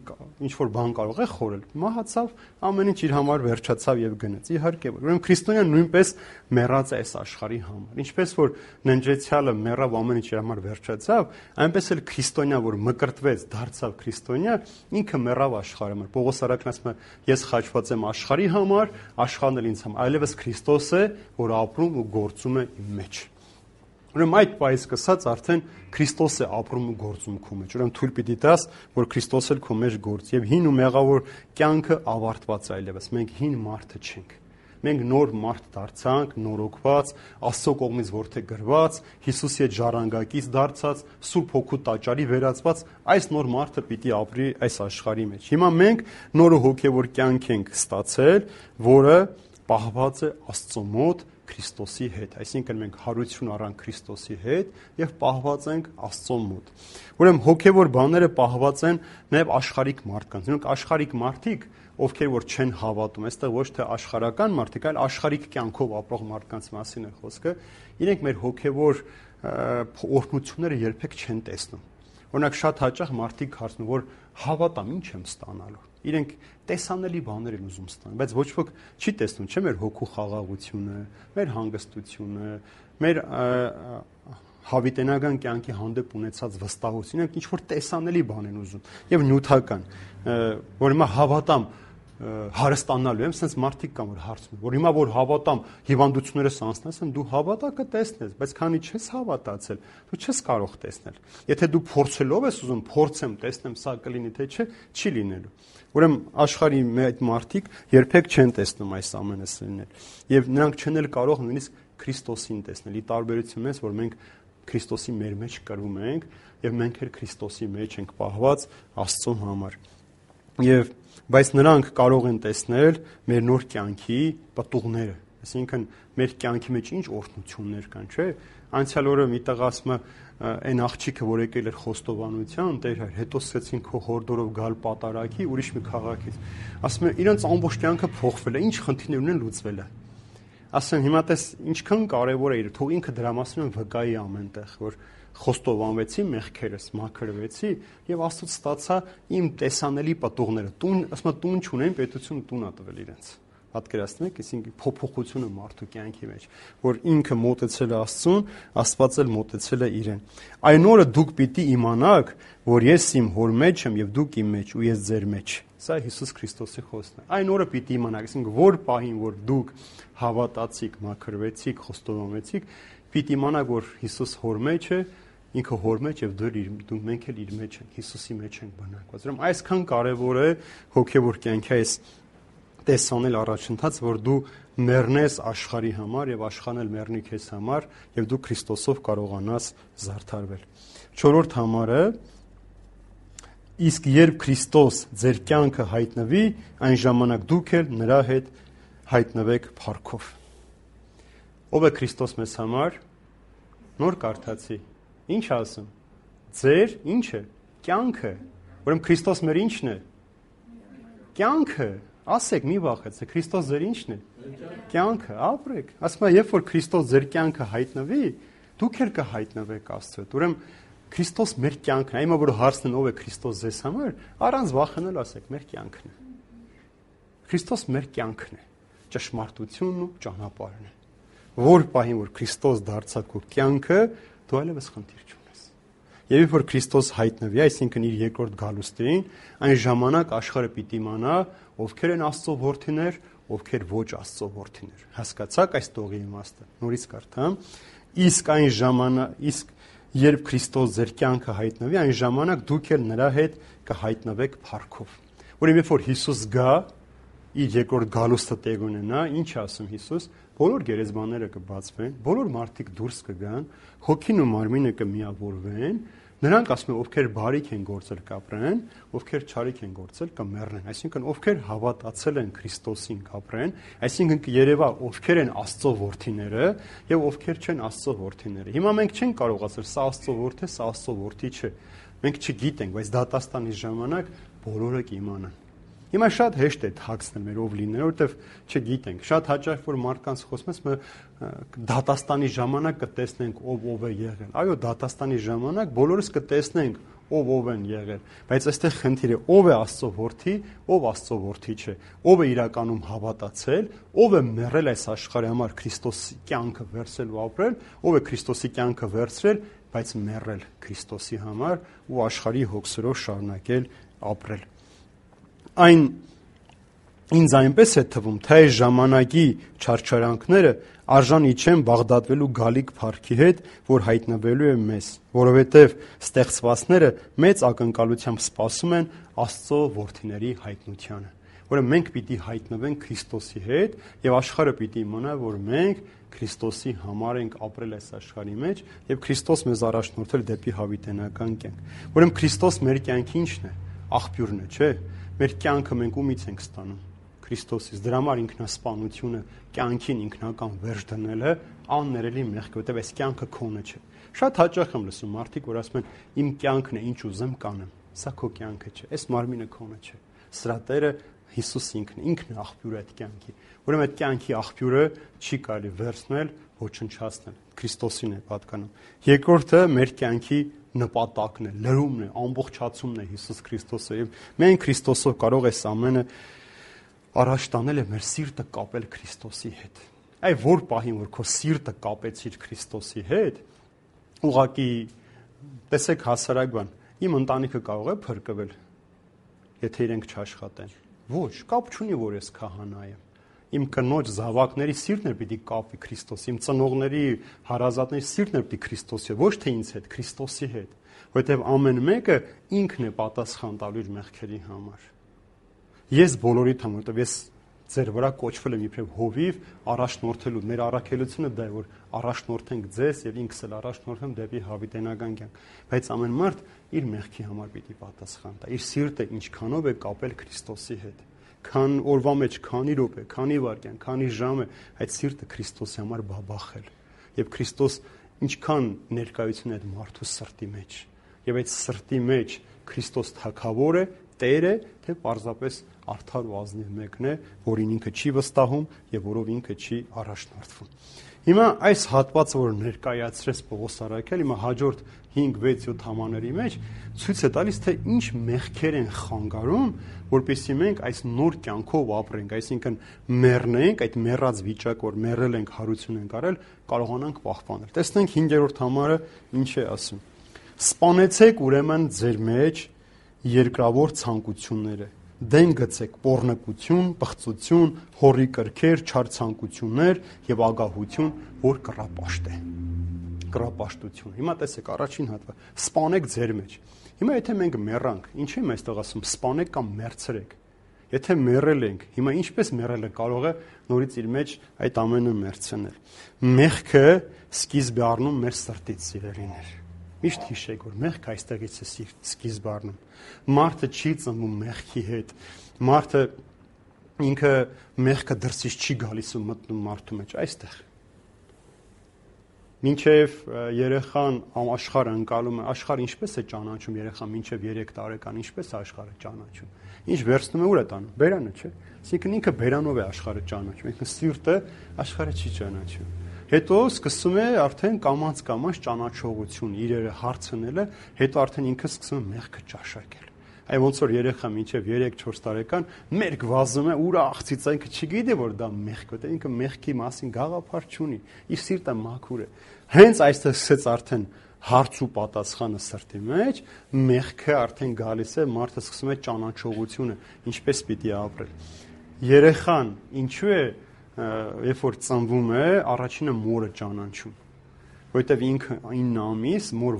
ինչ որ բան կարող է խորել։ Մահացավ, ամեն ինչ իր համար վերջացավ եւ գնաց։ Իհարկե, ուրեմն քրիստոնյան նույնպես մեռած է այս աշխարհի համար։ Ինչպես որ ննջեցյալը մեռավ, ամեն ինչ իր համար վերջացավ, այնպես էլ քրիստոնյա, որ մկրտվեց, դարձավ քրիստոնյա, ինքը մեռավ աշխարհի համար։ Պողոս Արաքն ասում է, ես խաչված եմ աշխարհի համար, աշխարհն էլ ինձ համար, այլևս Քրիստոս է, որ ապրում ու գործում է իմ մեջ։ Ուրեմն այդ պայից սկսած արդեն Քրիստոս է ապրում ու գործում քո մեջ։ Ուրեմն թույլ պիտի տաս, որ Քրիստոս էլ քո մեջ գործի։ Եվ հին ու մեղավոր կյանքը ավարտված է այլևս։ Մենք հին մարդը չենք։ Մենք նոր մարդ դարձանք, նորոգված, Աստծո կողմից որդեգրված, Հիսուսի հետ ժառանգակից դարձած, Սուրբ Հոգու տաճարի վերածված, այս նոր մարդը պիտի ապրի այս աշխարհի մեջ։ Հիմա մենք նոր հոգևոր կյանք ենք ստացել, որը պահված է Աստծո մոտ Քրիստոսի հետ, այսինքն մենք հարություն առանք Քրիստոսի հետ եւ պահված ենք Աստծո մոտ։ Ուրեմն հոգեվոր բաները պահված են նաեւ աշխարհիկ մարդկանց։ Նրանք աշխարհիկ մարդիկ, ովքեր որ չեն հավատում, այստեղ ոչ թե աշխարհական մարդիկ, այլ աշխարհիկ կյանքով ապրող մարդկանց մասին է խոսքը, իրենք մեր հոգեվոր օրհնությունները երբեք չեն տեսնում։ Օրինակ շատ հաճախ մարդիկ հարցնում, որ հավատամ, ինչ եմ ստանալու։ Իրենք տեսանելի բաներ են ուզում ստանալ, բայց ոչ ոք չի տեսնում, չէ՞ մեր հոգու խաղաղությունը, մեր հանգստությունը, մեր հավիտենական կյանքի հանդեպ ունեցած վստահություն, իրենք ինչ որ տեսանելի բան են ուզում եւ նյութական, որ հիմա հավատամ, հարստանալու եմ, sense մարդիկ կան, որ հարցնում են, որ հիմա որ հավատամ, հիվանդություններս անցնես, դու հավատա կտեսնես, բայց քանի չես հավատացել, դու չես կարող տեսնել։ Եթե դու փորձելով ես ուզում, փորձեմ, տեսնեմ, սա կլինի թե չէ, չի լինելու։ Ուրեմն աշխարհի այդ մարդիկ երբեք չեն տեսնում այս ամենը լինել։ Եվ նրանք չեն էլ կարող նույնիսկ Քրիստոսին տեսնել։ Ի տարբերություն մեզ, որ մենք Քրիստոսի մեր մեջ կրում ենք եւ մենք էլ Քրիստոսի մեջ ենք պահված Աստծո համար։ Եվ բայց նրանք կարող են տեսնել մեր նոր կյանքի պտուղները, այսինքն մեր կյանքի մեջ ինչ օրհնություններ կան, չէ՞։ Անցյալ օրը մի տեղ ասում է այն աղջիկը, որ եկել էր խոստովանության, Տեր հայր, հետո սկսեցին քո հորդորով գալ պատարագի, ուրիշ մի քաղաքից։ Ասում է, իրենց ամբողջ կյանքը փոխվել է, ինչ խնդիրներ ունեն լուծվել է։ Ասեմ, հիմա տես ինչքան կարևոր է իր, թող ինքը դրա մասին վկայի ամենտեղ, որ խոստովանվեցի մեղքերս, մաքրվեցի եւ Աստծոց ստացա իմ տեսանելի պտուղները։ Տուն, ասում եմ, տուն չունեն, պետությունը տուն ա տվել իրենց։ Պատկերացնում եք, այսինքն փոփոխությունը մարդու կյանքի մեջ, որ ինքը մոտեցել է Աստծուն, Աստված էլ մոտեցել է իրեն։ Այն օրը դուք պիտի իմանաք, որ ես իմ հոր մեջ եմ եւ դուք իմ մեջ ու ես ձեր մեջ։ Սա Հիսուս Քրիստոսի խոսքն է։ Այն օրը պիտի իմանաք, այսինքն որ պահին, որ դուք հավատացիք, մաքրվեցիք, խոստովանվեցիք, պիտի իմանաք, որ Հիսուս հոր մեջ է, ինքը հոր մեջ եւ դու մենք էլ իր մեջ ենք, Հիսուսի մեջ ենք բնակված։ Ուրեմն այսքան կարեւոր է հոգեվոր կյանքի այս տեսանել առաջընթաց, որ դու մեռնես աշխարհի համար եւ աշխարհն էլ մեռնի քեզ համար եւ դու Քրիստոսով կարողանաս զարդարվել։ 4-րդ համարը իսկ երբ Քրիստոս ձեր կյանքը հայտնվի, այն ժամանակ դուք էլ նրա հետ հայտնվեք փառքով։ Ով է Քրիստոս մեզ համար։ Նոր կարդացի։ Ինչ ասում։ Ձեր ինչ է։ Կյանքը։ Ուրեմն Քրիստոս մեր ինչն է։ Կյանքը։ Ասեք, մի վախեցեք, Քրիստոս ձեր ինչն է։ Կյանքը, ապրեք։ Ասում եմ, երբ որ Քրիստոս ձեր կյանքը հայտնվի, դուք էլ կհայտնվեք Աստծո հետ։ Ուրեմն Քրիստոս մեր կյանքն է։ Հիմա որ հարցնեն ով է Քրիստոս ձեզ համար, առանց վախենալ ասեք, մեր կյանքն է։ Քրիստոս մեր կյանքն է, ճշմարտությունն ու ճանապարհն է։ Որ պահին որ Քրիստոս դարձավ քո կյանքը, դու այլևս խնդիր չունես։ Եվ երբ որ Քրիստոս հայտնվի, այսինքն իր երկրորդ գալուստին, այն ժամանակ աշխարհը պիտի իմանա, ովքեր են Աստծո որդիներ, ովքեր ոչ Աստծո որդիներ։ Հասկացաք այս տողի իմաստը։ Նորից կարդամ. իսկ այն ժամանակ, երբ Քրիստոս ձեր կյանքը հայտնվի, այն ժամանակ դուք էլ նրա հետ կհայտնվեք փառքով։ Ուրեմն երբ որ Հիսուս գա, իր երկրորդ գալուստը տեղ ունենա, ինչ ասում Հիսուս, բոլոր գերեզմաները կբացվեն, բոլոր մարդիկ դուրս կգան, հոգին ու մարմինը կմիավորվեն, նրանք ասում են, ովքեր բարիք են գործել կապրեն, ովքեր չարիք են գործել կմեռնեն, այսինքն ովքեր հավատացել են Քրիստոսին կապրեն, այսինքն կերևա ովքեր են Աստծո որդիները եւ ովքեր չեն Աստծո որդիները։ Հիմա մենք չենք կարող ասել սա Աստծո որդի է, սա Աստծո որդի չէ։ Մենք չգիտենք, բայց դատաստանի ժամանակ բոլորը կիմանան։ Հիմա շատ հեշտ է թաքցնել մեր ով լինել, որովհետև չգիտենք։ Շատ հաճախ որ մարդկանց խոսում ես, դատաստանի ժամանակ կտեսնենք ով է եղել։ Այո, դատաստանի ժամանակ բոլորս կտեսնենք ով են եղել, բայց այստեղ խնդիրը ով է Աստծո որդի, ով Աստծո որդի չէ, ով է իրականում հավատացել, ով է մեռել այս աշխարհի համար Քրիստոսի կյանքը վերցրել ու ապրել, ով է Քրիստոսի կյանքը վերցրել, բայց մեռել Քրիստոսի համար ու աշխարհի հոգսերով շարունակել ապրել։ Այն ինձ այնպես է թվում, թե այս ժամանակի չարչարանքները արժանի չեն բաղդատվելու գալիք փառքի հետ, որ հայտնվելու է մեզ, որովհետև ստեղծվածները մեծ ակնկալությամբ սպասում են Աստծո որդիների հայտնությանը։ Որը մենք պիտի հայտնվենք Քրիստոսի հետ եւ աշխարհը պիտի իմանա, որ մենք Քրիստոսի համար ենք ապրել այս աշխարհի մեջ եւ Քրիստոս մեզ առաջնորդել դեպի հավիտենական կյանք։ Ուրեմն Քրիստոս մեր կյանքի ինչն է։ Աղբյուրն է, չէ՞։ Մեր կյանքը մենք ումից ենք ստանում Քրիստոսից։ Դրա համար ինքնասպանությունը, կյանքին ինքնական վերջ դնելը աններելի մեղք է, որտեղ այս կյանքը քոնը չէ։ Շատ հաճախ եմ լսում մարդիկ, որ ասում են իմ կյանքն է, ինչ ուզեմ կանեմ։ Սա քո կյանքը չէ, այս մարմինը քոնը չէ։ Սրա Տերը Հիսուս ինքն է աղբյուրը այդ կյանքի։ Ուրեմն այդ կյանքի աղբյուրը չի կարելի վերցնել, ոչնչացնել։ Քրիստոսին է պատկանում։ Երկրորդը մեր կյանքի նպատակն է, լրումն է, ամբողջացումն է Հիսուս Քրիստոսը եւ մենք Քրիստոսով կարող ես ամենը առաջ տանել եւ մեր սիրտը կապել Քրիստոսի հետ։ Այ որ պահին որ քո սիրտը կապեցիր Քրիստոսի հետ, ուղղակի տեսեք հասարակ բան, իմ ընտանիքը կարող է փրկվել, եթե իրենք չաշխատեն։ Ոչ, կապ չունի, որ ես քահանա եմ։ Իմ կնոջ զավակների սիրտն է պիտի կապվի Քրիստոսի, իմ ծնողների, հարազատների սիրտն է պիտի Քրիստոսի, ոչ թե ինձ հետ, Քրիստոսի հետ, որովհետև ամեն մեկը ինքն է պատասխան տալու իր մեղքերի համար։ Ես բոլորիդ համար, որովհետև ես ձեր վրա կոչվել եմ իբրև հովիվ առաջնորդելու, մեր առաքելությունը դա է, որ առաջնորդենք ձեզ եւ ինքս էլ առաջնորդեմ դեպի հավիտենական կյանք, բայց ամեն մարդ իր մեղքի համար պիտի պատասխան տա, իր սիրտը ինչքանով է կապել Քրիստոսի հետ, քան օրվա մեջ, քանի րոպե, քանի վայրկյան, քանի ժամ է այդ սիրտը Քրիստոսի համար բաբախել եւ Քրիստոս ինչքան ներկայություն է այդ մարդու սրտի մեջ եւ այդ սրտի մեջ Քրիստոս թագավոր է, Տեր է, թե պարզապես արդար ու ազնիվ մեկն է, որին ինքը չի վստահում եւ որով ինքը չի առաջնորդվում։ Հիմա այս հատվածը, որ ներկայացրեց Պողոս Արաքել, հիմա հաջորդ 5-6-7 համաների մեջ ցույց է տալիս, թե ինչ մեղքեր են խանգարում, որպեսզի մենք այս նոր կյանքով ապրենք, այսինքն մեռնենք, այդ մեռած վիճակ, որ մեռել ենք, հարություն ենք արել, կարողանանք պահպանել։ Տեսնենք 5-րդ համարը ինչ է ասում։ Սպանեցեք ուրեմն ձեր մեջ երկրավոր ցանկությունները, դեն գցեք պոռնկություն, պղծություն, հորի կրքեր, չար ցանկություններ եւ ագահություն, որ կռապաշտ է։ Կռապաշտություն։ Հիմա տեսեք առաջին հատվածը, սպանեք ձեր մեջ։ Հիմա եթե մենք մեռանք, ինչ եմ այստեղ ասում, սպանեք կամ մեռցրեք։ Եթե մեռել ենք, հիմա ինչպես մեռելը կարող է նորից իր մեջ այդ ամենը մեռցնել։ Մեղքը սկիզբ է առնում մեր սրտից, սիրելիներ։ Միշտ հիշեք, որ մեղքը այստեղից է սկիզբ առնում։ Մարդը չի ծնվում մեղքի հետ։ Մարդը ինքը մեղքը դրսից չի գալիս ու մտնում մարդու մեջ, այստեղ։ Մինչև երեխան աշխարհը ընկալում է, աշխարհը ինչպես է ճանաչում երեխան մինչև 3 տարեկան, ինչպես է աշխարհը ճանաչում։ Ինչ վերցնում է ուր է տանում, բերանը, չէ։ Այսինքն ինքը բերանով է աշխարհը ճանաչում, ինքը սիրտը աշխարհը չի ճանաչում։ Հետո սկսում է արդեն կամաց ճանաչողություն, իրերը հարցնելը, հետո արդեն ինքը սկսում է մեղքը ճաշակել։ Այ ոնց որ երեխա մինչև 3-4 տարեկան մերկ վազում է, ուր աղցից ինքը չգիտի որ դա մեղք է, ինքը մեղքի մասին գաղափար չունի, իր սիրտը մաքուր է։ Հենց այստեղ սկսեց արդեն հարց ու պատասխանը սրտի մեջ, մեղքը արդեն գալիս է, մարդը սկսում է ճանաչողությունը, ինչպես պիտի ապրել։ Երեխան ինչու է երբ որ ծնվում է, առաջինը մորը ճանաչում, որովհետև ինքը 9 ամիս մոր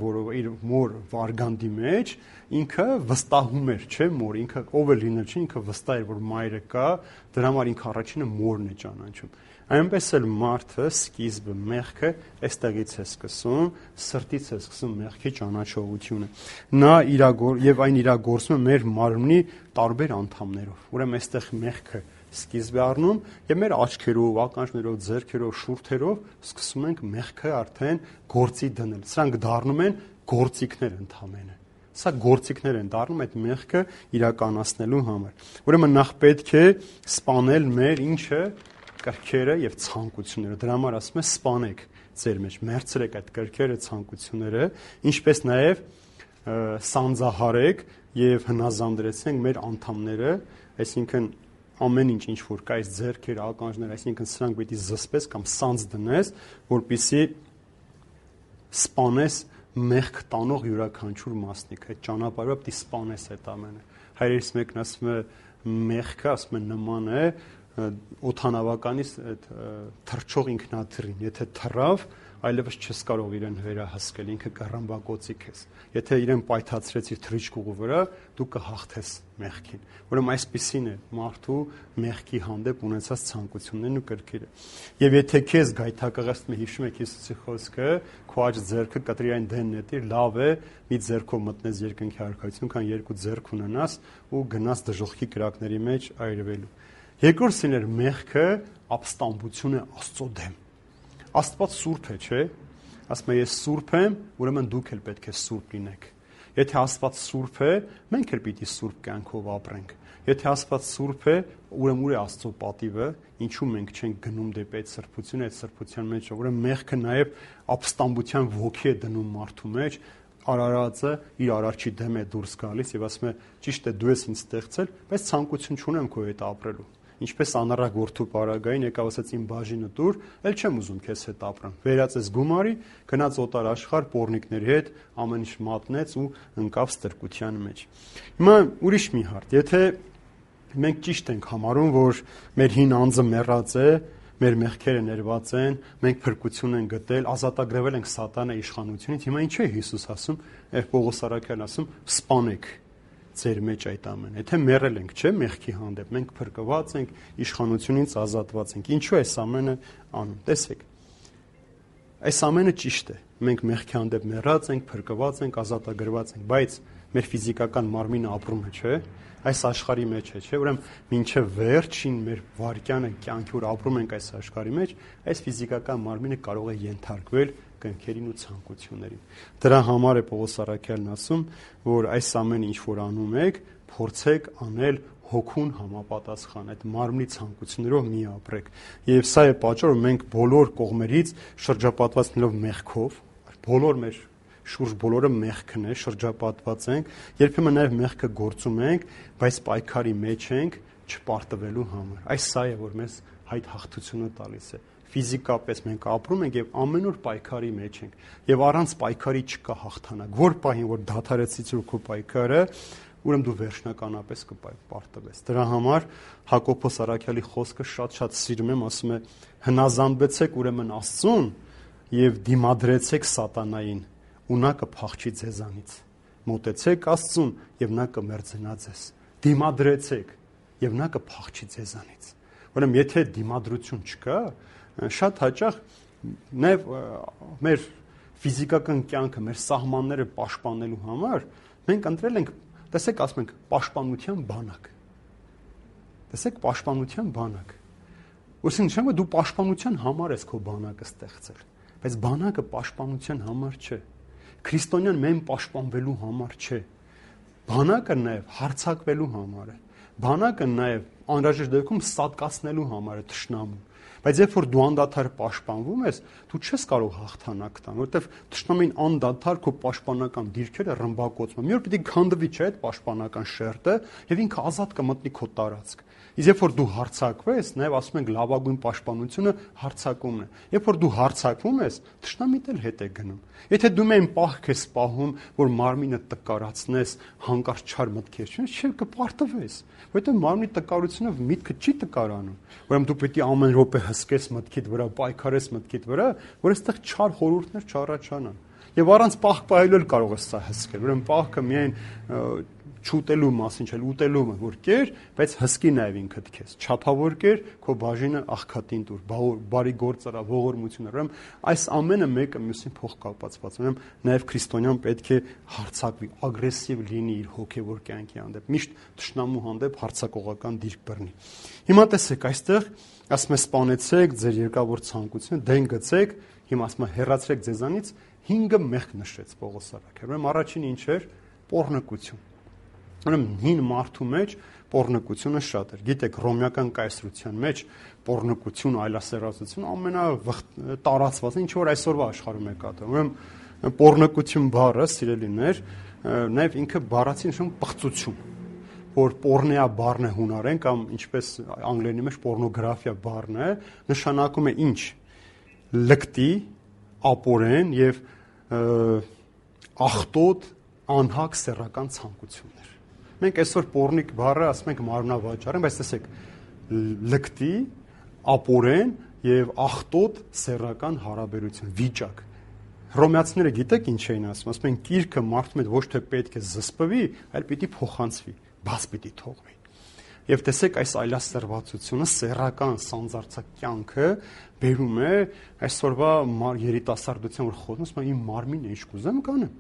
վարգանդի մեջ ինքը վստահում էր, չէ, մոր, ինքը ով է լինել, չէ, ինքը վստահ էր, որ մայրը կա, դրա համար ինքը առաջինը մորն է ճանաչում։ Այնպես էլ մարդը սկիզբը մեղքը այստեղից է սկսում, սրտից է սկսում մեղքի ճանաչողությունը։ Նա եւ այն իրագործում է մեր մարմնի տարբեր անդամներով։ Ուրեմն այստեղ մեղքը սկիզբ է առնում եւ մեր աչքերով, ականջներով, ձեռքերով, շուրթերով սկսում ենք մեղքը արդեն գործի դնել։ Սրանք դառնում են գործիքներ ընդհանրապես։ Սա գործիքներ են դառնում այդ մեղքը իրականացնելու համար։ Ուրեմն նախ պետք է սպանել մեր ինչը կրքերը եւ ցանկությունները։ Դրա համար ասում է սպանեք ձեր մեջ, մերցրեք այդ կրքերը, ցանկությունները, ինչպես նաեւ սանձահարեք եւ հնազանդրեցնենք մեր անդամները, այսինքն ամեն ինչ որ կա այս ձեռքերը, ականջները, այսինքն սրանք պիտի զսպես կամ սանձ դնես, որպեսզի սպանես մեղք տանող յուրաքանչյուր մասնիկ, այդ ճանապարհը պիտի սպանես այդ ամենը։ Հայրերից մեկն ասում է մեղքը, ասում է նման է օթանավականից այդ թռչող ինքնաթիռին, եթե թռավ, այլևս չես կարող իրեն վերահսկել, ինքը կռմբակոծիկ ես։ Եթե իրեն պայթացրեցիր թռիչքուղու վրա, դու կհաղթես մեղքին։ Ուրեմն այսպիսին է մարդու մեղքի հանդեպ ունեցած ցանկություններն ու կրքերը։ Եվ եթե քեզ գայթակղեցնում է, հիշում եք Հիսուսի խոսքը, քո աջ ձեռքը կտրի այն դեն նետիր, լավ է, մի ձեռքով մտնես երկնքի արքայություն, քան երկու ձեռք ունենաս ու գնաս դժոխքի կրակների մեջ այրվելու։ Երկրորդն էր մեղքը ապստամբություն է Աստծո դեմ։ Աստված սուրբ է, չէ՞։ Ասում է ես սուրբ եմ, ուրեմն դուք էլ պետք է սուրբ լինեք։ Եթե Աստված սուրբ է, մենք էլ պիտի սուրբ կյանքով ապրենք։ Եթե Աստված սուրբ է, ուրեմն ուր է Աստծո պատիվը, ինչու մենք չենք գնում դեպի այդ սրբությունը, այդ սրբության մեջ, ուրեմն մեղքը նաև ապստամբության ոգի է դնում մարդու մեջ, արարածը իր արարչի դեմ է դուրս գալիս եւ ասում է ճիշտ է դու ես ինձ ստեղծել, բայց ցանկություն չունեմ քո հետ ապրելու։ Ինչպես անառակ որդու պարագային եկավ ասաց իմ բաժինը տուր, ել չեմ ուզում քեզ հետ ապրեմ։ Վերած ես գումարի, գնաց օտար աշխարհ պոռնիկների հետ, ամեն ինչ մատնեց ու ընկավ ստրկության մեջ։ Հիմա ուրիշ մի հարց, եթե մենք ճիշտ ենք համարում, որ մեր հին անձը մեռած է, մեր մեղքերը ներված են, մենք փրկություն ենք գտել, ազատագրվել ենք սատանայի իշխանությունից։ Հիմա ինչու է Հիսուս ասում, Պողոս առաքյալն ասում, սպանեք ձեր մեջ այդ ամենը։ Եթե մեռել ենք, չէ՞, մեղքի հանդեպ, մենք փրկված ենք, իշխանությունից ազատված ենք։ Ինչու է այս ամենը անում։ Տեսեք, այս ամենը ճիշտ է։ Մենք մեղքի հանդեպ մեռած ենք, փրկված ենք, ազատագրված ենք, բայց մեր ֆիզիկական մարմինը ապրում է, չէ՞։ Այս աշխարհի մեջ է, չէ՞։ Ուրեմն մինչև վերջին մեր վարկյանը կյանքի որ ապրում ենք այս աշխարհի մեջ, այս ֆիզիկական մարմինը կարող է ենթարկվել կնքերին ու ցանկություններին։ Դրա համար է Պողոս առաքյալն ասում, որ այս ամենը ինչ որ անում եք, փորձեք անել հոգուն համապատասխան, այդ մարմնի ցանկություններով մի ապրեք։ Եվ սա է պատճառը, որ մենք բոլոր կողմերից շրջապատված լինելով մեղքով, բոլոր մեր շուրջ բոլորը մեղքն է, շրջապատված ենք, երբեմն նաև մեղքը գործում ենք, բայց պայքարի մեջ ենք չպարտվելու համար։ Այս սա է, որ մեզ այդ հաղթությունը տալիս է։ Ֆիզիկապես մենք ապրում ենք եւ ամեն օր պայքարի մեջ ենք։ Եվ առանց պայքարի չկա հաղթանակ։ Որ պահին որ դադարեցից քո պայքարը, ուրեմն դու վերջնականապես կպարտվես։ Դրա համար Հակոբոս առաքյալի խոսքը շատ սիրում եմ, ասում է. հնազանդվեցեք ուրեմն Աստծուն եւ դիմադրեցեք սատանային, ու նա կփախչի ձեզանից։ Մոտեցեք Աստծուն եւ նա կմերձենա ձեզ։ Դիմադրեցեք եւ նա կփախչի ձեզանից։ Ուրեմն եթե դիմադրություն չկա, շատ հաճախ նաև մեր ֆիզիկական կյանքը, մեր սահմանները պաշտպանելու համար մենք ընտրել ենք, տեսեք, ասում ենք, պաշտպանության բանակ։ Տեսեք, պաշտպանության բանակ։ Ուրեմն նշանակում է դու պաշտպանության համար ես քո բանակը ստեղծել, բայց բանակը պաշտպանության համար չէ։ Քրիստոնյան մեն պաշտպանվելու համար չէ։ Բանակը նաև հարձակվելու համար է։ Բանակը նաև անհրաժեշտ դեպքում սատկացնելու համար է թշնամուն։ Բայց երբ որ դու անդադար պաշտպանվում ես, դու չես կարող հաղթանակ տալ, որովհետև թշնամին անդադար քո պաշտպանական դիրքերը ռմբակոծում։ Մի օր պիտի քանդվի, չէ՞, այդ պաշտպանական շերտը, եւ ինքը ազատ կմտնի քո տարածք։ Իսկ երբ որ դու հարձակվես, նաև ասում ենք լավագույն պաշտպանությունը հարձակումն է։ Երբ որ դու հարձակվում ես, թշնամիտ էլ հետ է գնում։ Եթե դու մեն պահք ես պահում, որ մարմինը տկարացնես, հանկարծ չար մտքեր չունես, չէ, կպարտվես։ Որովհետև մարմնի տկարությունով միտքը չի տկարանում։ Ուրեմն դու պետք է ամեն րոպե հսկես մտքիդ վրա, պայքարես մտքիդ վրա, որ այստեղ չար խորհուրդներ չառաջանան։ Եվ առանց պահք պահելու էլ կարող ես սա հսկել։ Ուրեմն պահքը միայն չուտելու մասին չէ, ուտելու որ կեր, բայց հսկի նաև ինքդ քեզ։ Չափավոր կեր, քո բաժինը աղքատին տուր, բարի գործ արա, ողորմություն արա։ Ուրեմն այս ամենը մեկը մյուսին փոխկապակցված։ Ուրեմն նաև քրիստոնյան պետք է հարձակվի, ագրեսիվ լինի իր հոգևոր կյանքի հանդեպ, միշտ թշնամու հանդեպ հարձակողական դիրք բռնի։ Հիմա տեսեք, այստեղ ասում է սպանեցեք ձեր երկավոր ցանկությունը, դեն գցեք, հիմա ասում է հեռացրեք ձեզանից, 5 մեղք նշեց Պողոս առաքյալը։ Ուրեմն առաջինը ինչ էր։ Պոռնկություն։ Ուրեմն հին մարդու մեջ պոռնկությունը շատ էր։ Գիտեք, ռոմեական կայսրության մեջ պոռնկություն, այլասերածություն ամենատարածվածն ինչ որ այսօրվա աշխարհում է կատարվում։ Ուրեմն պոռնկություն բառը, սիրելիներ, նաև ինքը բառացի նշանակում պղծություն, որ պոռնեա բառն է հունարեն կամ ինչպես անգլերենի մեջ պոռնոգրաֆիա բառն է, նշանակում է ինչ։ Լկտի, ապորեն եւ աղտոտ, անհակ սեռական ցանկություններ։ Մենք այսօր պոռնիկ բառը ասում ենք մարմնավաճառ, բայց տեսեք, լկտի, ապորեն եւ աղտոտ սեռական հարաբերություն, վիճակ։ Հռոմեացիները գիտեք ինչ էին ասում, ասում են կիրքը մարդու հետ ոչ թե պետք է զսպվի, այլ պիտի փոխանցվի, բաց պիտի թողվի։ Եվ տեսեք, այս այլասերվածությունը, սեռական սանձարձակ կյանքը բերում է այսօրվա երիտասարդության, որ խոսում եմ, իմ մարմինը ինչ կուզեմ կանեմ,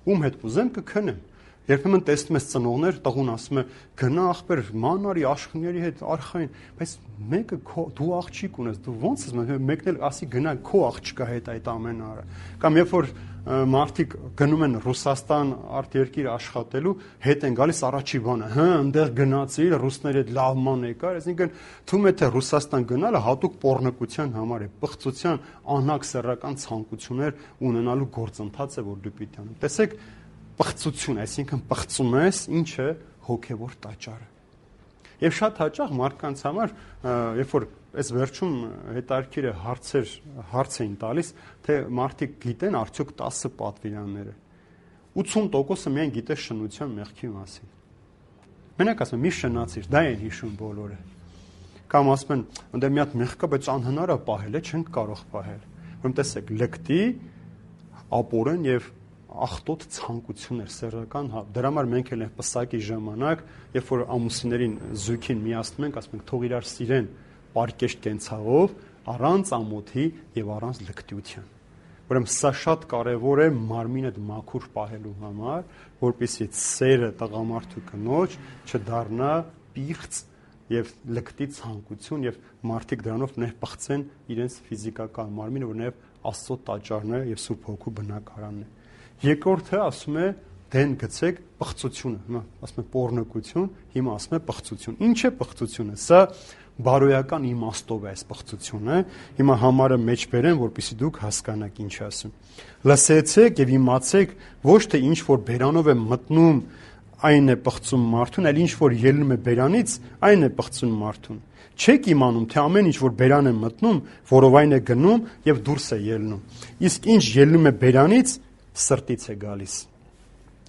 ում հետ կուզեմ կքնեմ։ Երբեմն տեսնում ես ծնողներ, տղուն ասում է գնա ախպեր, ման արի աշխիների հետ արխային, բայց մեկը դու աղջիկ ունես, դու ո՞նց ես, մեկն էլ ասի գնա քո աղջկա հետ այդ ամենը արա։ Կամ երբ որ մարդիկ գնում են Ռուսաստան արտերկիր աշխատելու, հետ են գալիս առաջի բանը, այնտեղ գնացիր, ռուսների հետ լավ ման եկար, այսինքն թվում է թե Ռուսաստան գնալը հատուկ պոռնկության համար է, պղծության, անհակ սեռական ցանկություններ ունենալու գործընթաց է, որ դու պիտի անես։ Տեսեք, պղծություն, այսինքն պղծում ես, ինչը հոգևոր տաճարը։ Եվ շատ հաճախ մարդկանց համար, երբ որ այս վերջում հետարքիրը հարց էին տալիս, թե մարդիկ գիտեն արդյոք 10 պատվիրանները։ 80%-ը միայն գիտե շնության մեղքի մասին։ Մենակ ասում մի շնացիր, դա են հիշում բոլորը։ Կամ ասում են, ընդ մի հատ մեղք կա, բայց անհնար է պահել, չենք կարող պահել։ Ուրեմն տեսեք, լկտի, ապորեն եւ ախտոտ ցանկություններ սեռական, դրա համար մենք էլ ենք պսակի ժամանակ, երբ որ ամուսիններին զույգին միացնում ենք, ասում ենք թող իրար սիրեն պարկեշտ կենցաղով, առանց ամոթի եւ առանց լկտիության։ Ուրեմն սա շատ կարևոր է մարմինը մաքուր պահելու համար, որպեսզի սերը տղամարդու կնոջ չդառնա պիղծ եւ լկտի ցանկություն եւ մարդիկ դրանով ներպղծեն իրենց ֆիզիկական մարմինը, որ նաեւ Աստծո տաճարն է եւ Սուրբ Հոգու բնակարանն է։ Երկրորդը ասում է դեն գցեք պղծությունը, հիմա ասում է պոռնկություն, հիմա ասում է պղծություն։ Ինչ է պղծությունը? Սա բարոյական իմաստով է այս պղծությունը։ Հիմա համարը մեջ բերեն, որպեսզի դուք հասկանաք ինչ ասում։ Լսեցեք եւ իմացեք, ոչ թե ինչ որ բերանով է մտնում, այն է պղծում մարդուն, այլ ինչ որ ելնում է բերանից, այն է պղծում մարդուն։ Չեք իմանում, թե ամեն ինչ որ բերան է մտնում, որով այն է գնում եւ դուրս է ելնում։ Իսկ ինչ ելնում է բերանից, սրտից է գալիս։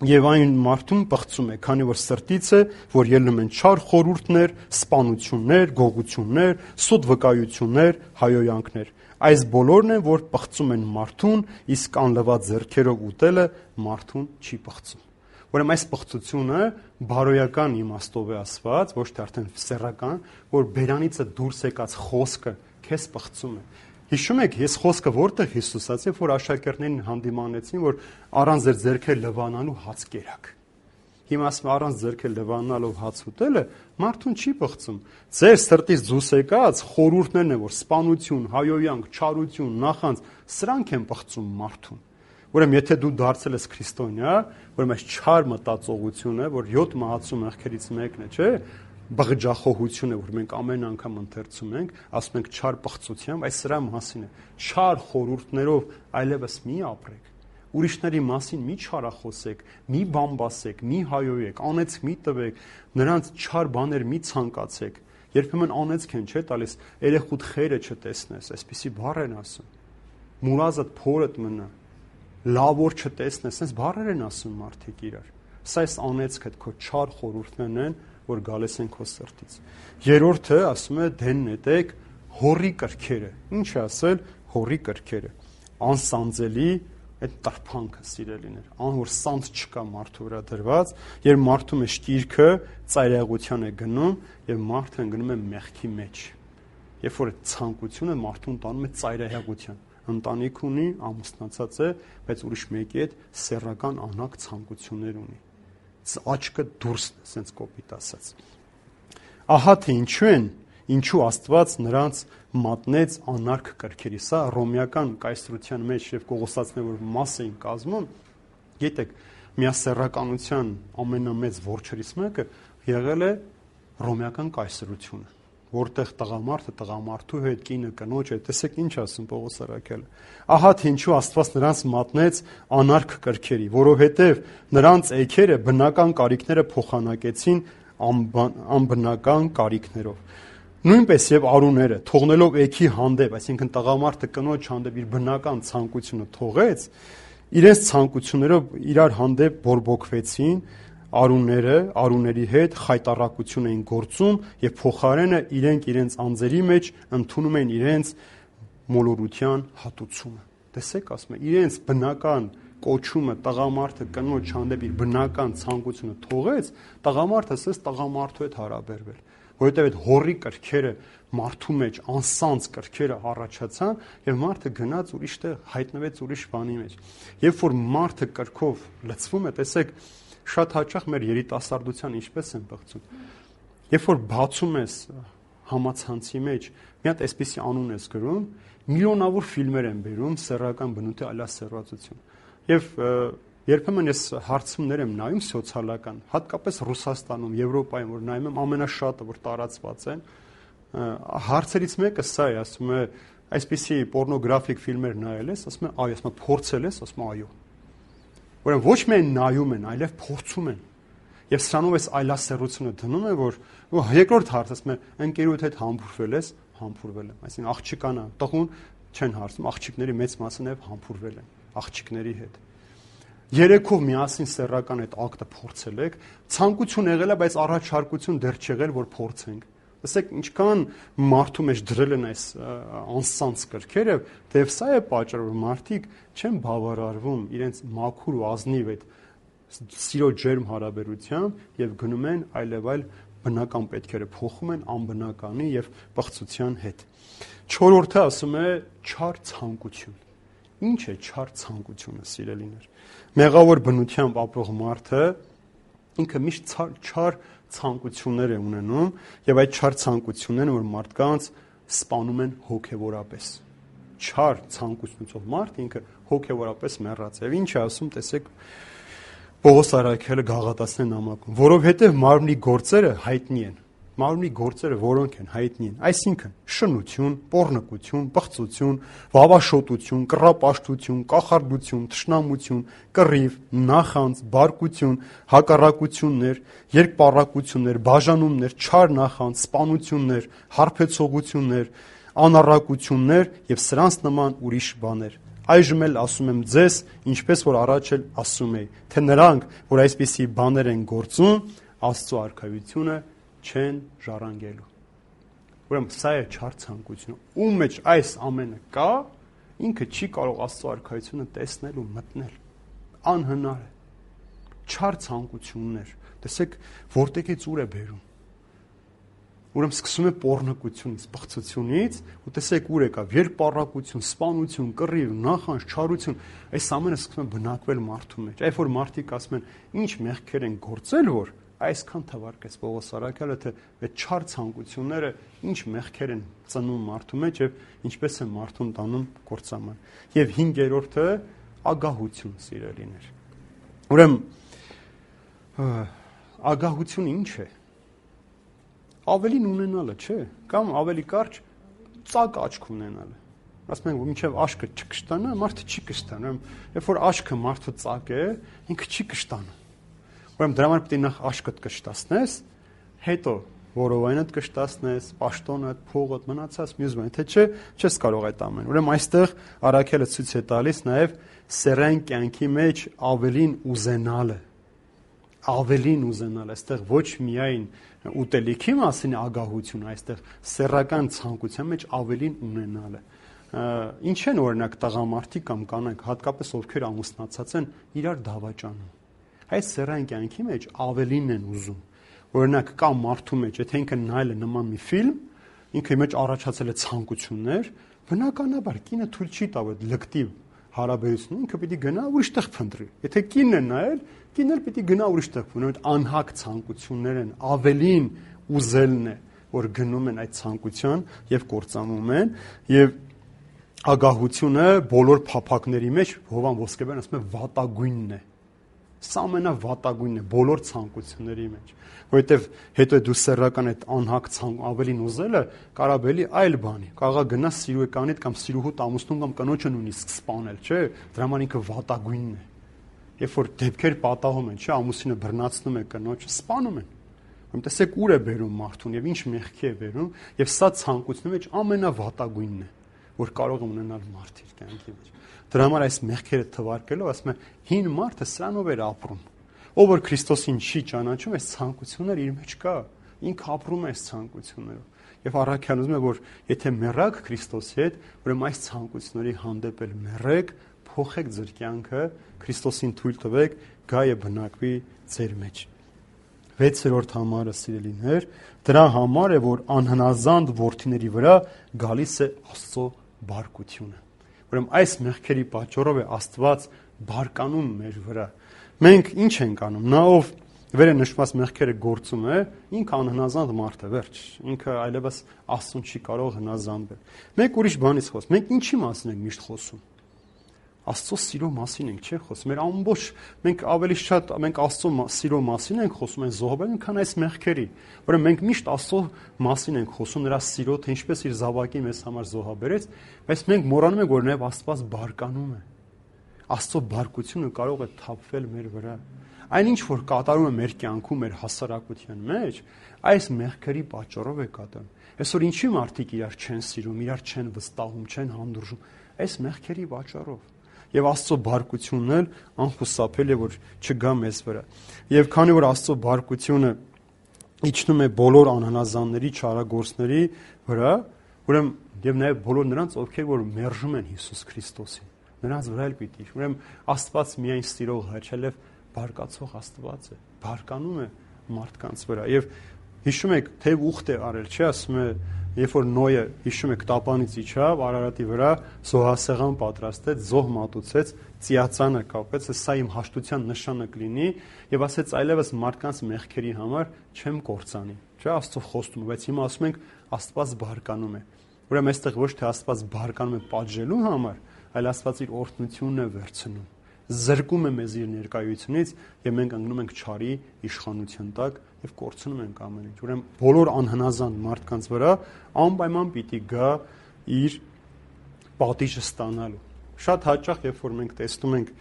Եվ այն մարդուն պղծում է, քանի որ սրտից է, որ ելնում են չար խորհուրդներ, սպանություններ, գողություններ, սուտ վկայություններ, հայոյանքներ։ Այս բոլորն են, որ պղծում են մարդուն, իսկ անլված ձեռքերով ուտելը մարդուն չի պղծում։ Ուրեմն այս պղծությունը բարոյական իմաստով է ասված, ոչ թե արդեն սեռական, որ բերանից դուրս եկած խոսքը քեզ պղծում է։ Հիշում եք, ես խոսքը որտեղ Հիսուս ասաց, որ աշակերտներին հանդիմանեցին, որ առանց ձեր ձեռքեր լվանալու հաց կերակ։ Հիմա ասում առանց ձեռքեր լվանալով հաց ուտելը մարդուն չի պղծում։ Ձեր սրտից դուրս եկած խորհուրդներն են, որ սպանություն, հայոյանք, չարություն, նախանձ, սրանք են պղծում մարդուն։ Ուրեմն եթե դու դարձել ես քրիստոնյա, ուրեմն այս չար մտածողությունը, որ 7 մահացու մեղքերից մեկն է, չէ՞, բղջախոհությունը, որ մենք ամեն անգամ ընթերցում ենք, ասում ենք չար պղծությամբ, այս սրա մասին է։ Չար խորհուրդներով այլևս մի ապրեք։ Ուրիշների մասին մի չարախոսեք, մի բամբասեք, մի հայոյեք, անեծք մի տվեք, նրանց չար բաներ մի ցանկացեք։ Երբեմն անեծք են, չէ՞, տալիս, երեխուդ խերը չտեսնես, այսպիսի բառ են ասում։ Մուրազդ փորդ մնա, լավոր չտեսնես, այս բառեր են ասում մարդիկ իրար։ Սա այս անեծքը քո չար խորհուրդներն են, որ գալիս են քո սրտից։ Երրորդը ասում է դեն նետեք հորի կրքերը։ Ինչ է ասել հորի կրքերը։ Անսանձելի այդ տրփանքը սիրելիներ, որ սանձ չկա մարդու վրա դրված, երբ մարդու մեջ տիրքը ծայրահեղության է գնում եւ մարդը ընկնում է մեղքի մեջ։ Երբ որ ցանկությունը մարդուն տանում է ծայրահեղության, ընտանիք ունի, ամուսնացած է, բայց ուրիշ մեկի հետ սեռական անհակ ցանկություններ ունի։ Աչքը դուրսն է, ասենց կոպիտ ասած։ Ահա թե ինչու Աստված նրանց մատնեց անարգ կրքերի։ Սա ռոմեական կայսրության մեջ եւ Կողոսացիներ, որ մաս էին կազմում, գիտեք, միասեռականության ամենամեծ որջերից մեկը եղել է ռոմեական կայսրությունը, որտեղ տղամարդը տղամարդու հետ, կինը կնոջ հետ, տեսեք ինչ ասում Պողոս առաքյալը։ Ահա թե ինչու Աստված նրանց մատնեց անարգ կրքերի, որովհետև նրանց էգերը բնական կարիքները փոխանակեցին անբնական կարիքներով։ Նույնպես եւ արուները, թողնելով էգի հանդեպ, այսինքն տղամարդը կնոջ հանդեպ իր բնական ցանկությունը թողեց, իրենց ցանկություններով իրար հանդեպ բորբոքվեցին, արուների հետ խայտառակություն էին գործում եւ փոխարենը իրենց անձերի մեջ ընդունում են իրենց մոլորության հատուցումը։ Տեսեք, ասում է, իրենց բնական կոչումը տղամարդը կնոջ հանդեպ իր բնական ցանկությունը թողեց, տղամարդը ասես տղամարդու հետ հարաբերվել, որովհետեւ այդ հորի կրքերը մարդու մեջ անսանձ կրքերը առաջացան եւ մարդը գնաց ուրիշտեղ հայտնվեց ուրիշ բանի մեջ։ Երբ որ մարդը կրքով լցվում է, տեսեք, շատ հաճախ մեր երիտասարդության ինչպես են բղծում։ Երբ որ բացում ես համացանցի մեջ, մի հատ այսպիսի անուն ես գրում, միլիոնավոր ֆիլմեր են բերում սեռական բնույթի այլասեռվածություն։ Եվ երբեմն ես հարցումներ եմ նայում սոցիալական, հատկապես Ռուսաստանում, Եվրոպայում, որ նայում եմ ամենաշատը, որ տարածված են, հարցերից մեկը սա է, ասում է, այսպիսի պոռնոգրաֆիկ ֆիլմեր նայել ես, ասում է, այո, ասում է, փորձել ես, ասում է, այո։ Ուրեմն ոչ միայն նայում են, այլև փորձում են։ Եվ սրանով այս այլասեռությունը դնում է, որ երկրորդ հարցը ասում է, ընկերուդ հետ համբուրվել ես, համբուրվել եմ։ Այսինքն աղջկանա, տղուն չեն հարցում, աղջիկների մեծ մասը նաև համբուրվել են աղջիկների հետ։ երեքով միասին սեռական այդ ակտը փորձել եք, ցանկություն եղել է, բայց առաջարկություն դեռ չեղել, որ փորձենք։ Տեսեք, ինչքան մարդու մեջ դրել են այս անսանց կրքերը, դեպ սա է պատճառը, որ մարդիկ չեն բավարարվում իրենց մաքուր ու ազնիվ այդ սիրո ջերմ հարաբերությամբ եւ գնում են այլև այլ բնական պետքերը փոխում են անբնականի եւ պղծության հետ։ Չորրորդը ասում է չար ցանկություն։ Ինչ է չար ցանկությունը, սիրելիներ։ Մեղավոր բնությամբ ապրող մարդը ինքը միշտ չար ցանկություններ է ունենում եւ այդ չար ցանկությունները որ մարդկանց սպանում են հոգեվորապես։ Չար ցանկությունով մարդ ինքը հոգեվորապես մեռած է։ Եվ ինչ է ասում, տեսեք, Պողոս առաքյալը Գաղատացիների նամակում, որովհետեւ մարմնի գործերը հայտնի են։ Մարմնի գործերը որոնք են հայտնի են, այսինքն շնություն, պոռնկություն, պղծություն, վավաշոտություն, կռապաշտություն, կախարդություն, թշնամություն, կռիվ, նախանձ, բարկություն, հակառակություններ, երկպառակություններ, բաժանումներ, չար նախանձ, սպանություններ, հարբեցողություններ, անառակություններ եւ սրանց նման ուրիշ բաներ։ Այժմ էլ ասում եմ ձեզ, ինչպես որ առաջ էլ ասում էի, թե նրանք, որ այսպիսի բաներ են գործում, Աստծո արքայությունը չեն ժառանգելու։ Ուրեմն սա է չար ցանկությունը։ Ում մեջ այս ամենը կա, ինքը չի կարող Աստծո արքայությունը տեսնել ու մտնել։ Անհնար է։ Չար ցանկություններ։ Տեսեք, որտեղից ուր է բերում։ Ուրեմն սկսում է պոռնկությունից, պղծությունից, ու տեսեք ուր եկավ, երկպառակություն, սպանություն, կռիվ, նախանձ, չարություն, այս ամենը սկսում է բնակվել մարդու մեջ։ Այդ որ մարդիկ ասում են, ինչ մեղքեր են գործել, որ այսքան թվարկեց Պողոս առաքյալը, թե այդ չար ցանկությունները ինչ մեղքեր են ծնում մարդու մեջ եւ ինչպես են մարդուն տանում կործաման։ Եվ 5-րդը ագահություն, սիրելիներ։ Ուրեմն ագահությունը ինչ է։ Ավելին ունենալը, չէ, կամ ավելի կարճ ծակ աչք ունենալը։ Ասում ենք, որ մինչև աչքը չկշտանա, մարդը չի կշտանում։ Երբ որ աչքը մարդու ծակ է, ինքը չի կշտանում։ Ուրեմն դրա համար պետք է նախ աչքդ կշտացնես, հետո որովայնդ կշտացնես, պաշտոնդ, փողդ, մնացած մյուս բան, թե չէ, չես կարող այդ ամեն։ Ուրեմն այստեղ առաքյալը ցույց է տալիս նաև սեռային կյանքի մեջ ավելին ուզենալը։ Ավելին ուզենալ, այստեղ ոչ միայն ուտելիքի մասին ագահություն, այստեղ սեռական ցանկության մեջ ավելին ունենալը։ Ինչ են օրինակ տղամարդիկ կամ կանայք, հատկապես ովքեր ամուսնացած են, իրար դավաճանում։ Այս սեռային կյանքի մեջ ավելին են ուզում։ Օրինակ կա մարդու մեջ, եթե ինքը նայել է նման մի ֆիլմ, ինքը մեջ առաջացել է ցանկություններ, բնականաբար կինը թույլ չի տա այդ լկտի հարաբերությունը, ինքը պիտի գնա ուրիշ տեղ փնտրի։ Եթե կինն է նայել, կինն էլ պիտի գնա ուրիշ տեղ փնտրի, այդ անհակ ցանկություններ են, ավելին ուզելն է, որ գնում են այդ ցանկության եւ կործանում են, եւ ագահությունը բոլոր փափակների մեջ Հովան Ոսկեբյանը ասում է վատագույնն է։ Սա ամենավատագույնն է բոլոր ցանկությունների մեջ, որովհետև հետո դու սեռական այդ անհակ ավելին ուզելը կարաբելի այլ բանի, կարողա գնա սիրուեկանիդ կամ սիրուհուդ ամուսնուն կամ կնոջը նույնիսկ սպանել, չէ՞, դրա համար ինքը վատագույնն է։ Երբ որ դեպքեր պատահում են, չէ, ամուսինը բռնացնում է կնոջը, սպանում են։ Ուրեմն տեսեք ուր է բերում մարդուն եւ ինչ մեղքի է բերում, եւ սա ցանկությունների մեջ ամենավատագույնն է, որ կարող է ունենալ մարդ իր կյանքի մեջ։ Դրա համար այս մեղքերը թվարկելով ասում է հին մարդը սրանով էր ապրում։ Ով որ Քրիստոսին չի ճանաչում, այս ցանկությունները իր մեջ կա, ինքը ապրում է այս ցանկություններով։ Եվ առաքյալն ուզում է, որ եթե մեռաք Քրիստոսի հետ, ուրեմն այս ցանկությունների հանդեպ էլ մեռեք, փոխեք ձեր կյանքը, Քրիստոսին թույլ տվեք, գա եւ բնակվի ձեր մեջ։ 6-րդ համարը, սիրելիներ, դրա համար է, որ անհնազանդ որդիների վրա գալիս է Աստծո բարկությունը։ Ուրեմն այս մեղքերի պատճառով է Աստված բարկանում մեր վրա։ Մենք ինչ ենք անում։ Նա ով վերը նշված մեղքերը գործում է, ինքը անհնազանդ մարդ է, վերջ։ Ինքը այլևս Աստծուն չի կարող հնազանդվել։ Մենք ուրիշ բանից խոսում։ Մենք ինչի մասին ենք միշտ խոսում։ Աստծո սիրո մասին ենք, չէ՞, խոսում։ Մեր ամբողջ մենք ավելի շատ մենք Աստծո սիրո մասին ենք խոսում այն զոհաբերին, քան այս մեղքերի։ Ուրեմն մենք միշտ Աստծո մասին ենք խոսում, նրա սիրո, թե ինչպես իր զավակին մեզ համար զոհաբերեց, բայց մենք մոռանում ենք, որ նաև Աստված բարկանում է։ Աստծո բարկությունը կարող է թափվել մեր վրա։ Այնինչ որ կատարում է մեր կյանքում, մեր հասարակության մեջ, այս մեղքերի պատճառով է կատարում։ Այսօր ինչի մարդիկ իրար չեն սիրում, իրար չեն վստահում, չեն հանդուրժում, այս մեղքերի պատճառով։ եւ Աստծո բարկությունն էլ անխուսափելի է որ չգա մեզ վրա։ Եվ քանի որ Աստծո բարկությունը իջնում է բոլոր անհնազանդների, չարագործների վրա, ուրեմն եւ նաեւ բոլոր նրանց, ովքեր որ մերժում են Հիսուս Քրիստոսին, նրանց վրա էլ պիտի։ Ուրեմն Աստված միայն սիրող հայր չէ, այլև բարկացող Աստված է, բարկանում է մարդկանց վրա։ Եվ հիշում եք, թե ուխտ է արել, չէ՞, ասում է, երբ որ Նոյը, հիշում եք, տապանից իջավ, Արարատի վրա զոհասեղան պատրաստեց, զոհ մատուցեց, ծիածանը կապեց, սա իմ հաշտության նշանը կլինի, եւ ասեց այլևս մարդկանց մեղքերի համար չեմ կործանի, չէ՞, Աստծո խոստումը, բայց հիմա ասում ենք Աստված բարկանում է։ Ուրեմն այստեղ ոչ թե Աստված բարկանում է պատժելու համար, այլ Աստված իր օրհնությունն է վերցնում, զրկում է մեզ իր ներկայությունից եւ մենք ընկնում ենք չարի իշխանության տակ եւ կորցնում ենք ամեն ինչ։ Ուրեմն բոլոր անհնազանդ մարդկանց վրա անպայման պիտի գա իր պատիժը ստանալու։ Շատ հաճախ երբ որ մենք տեսնում ենք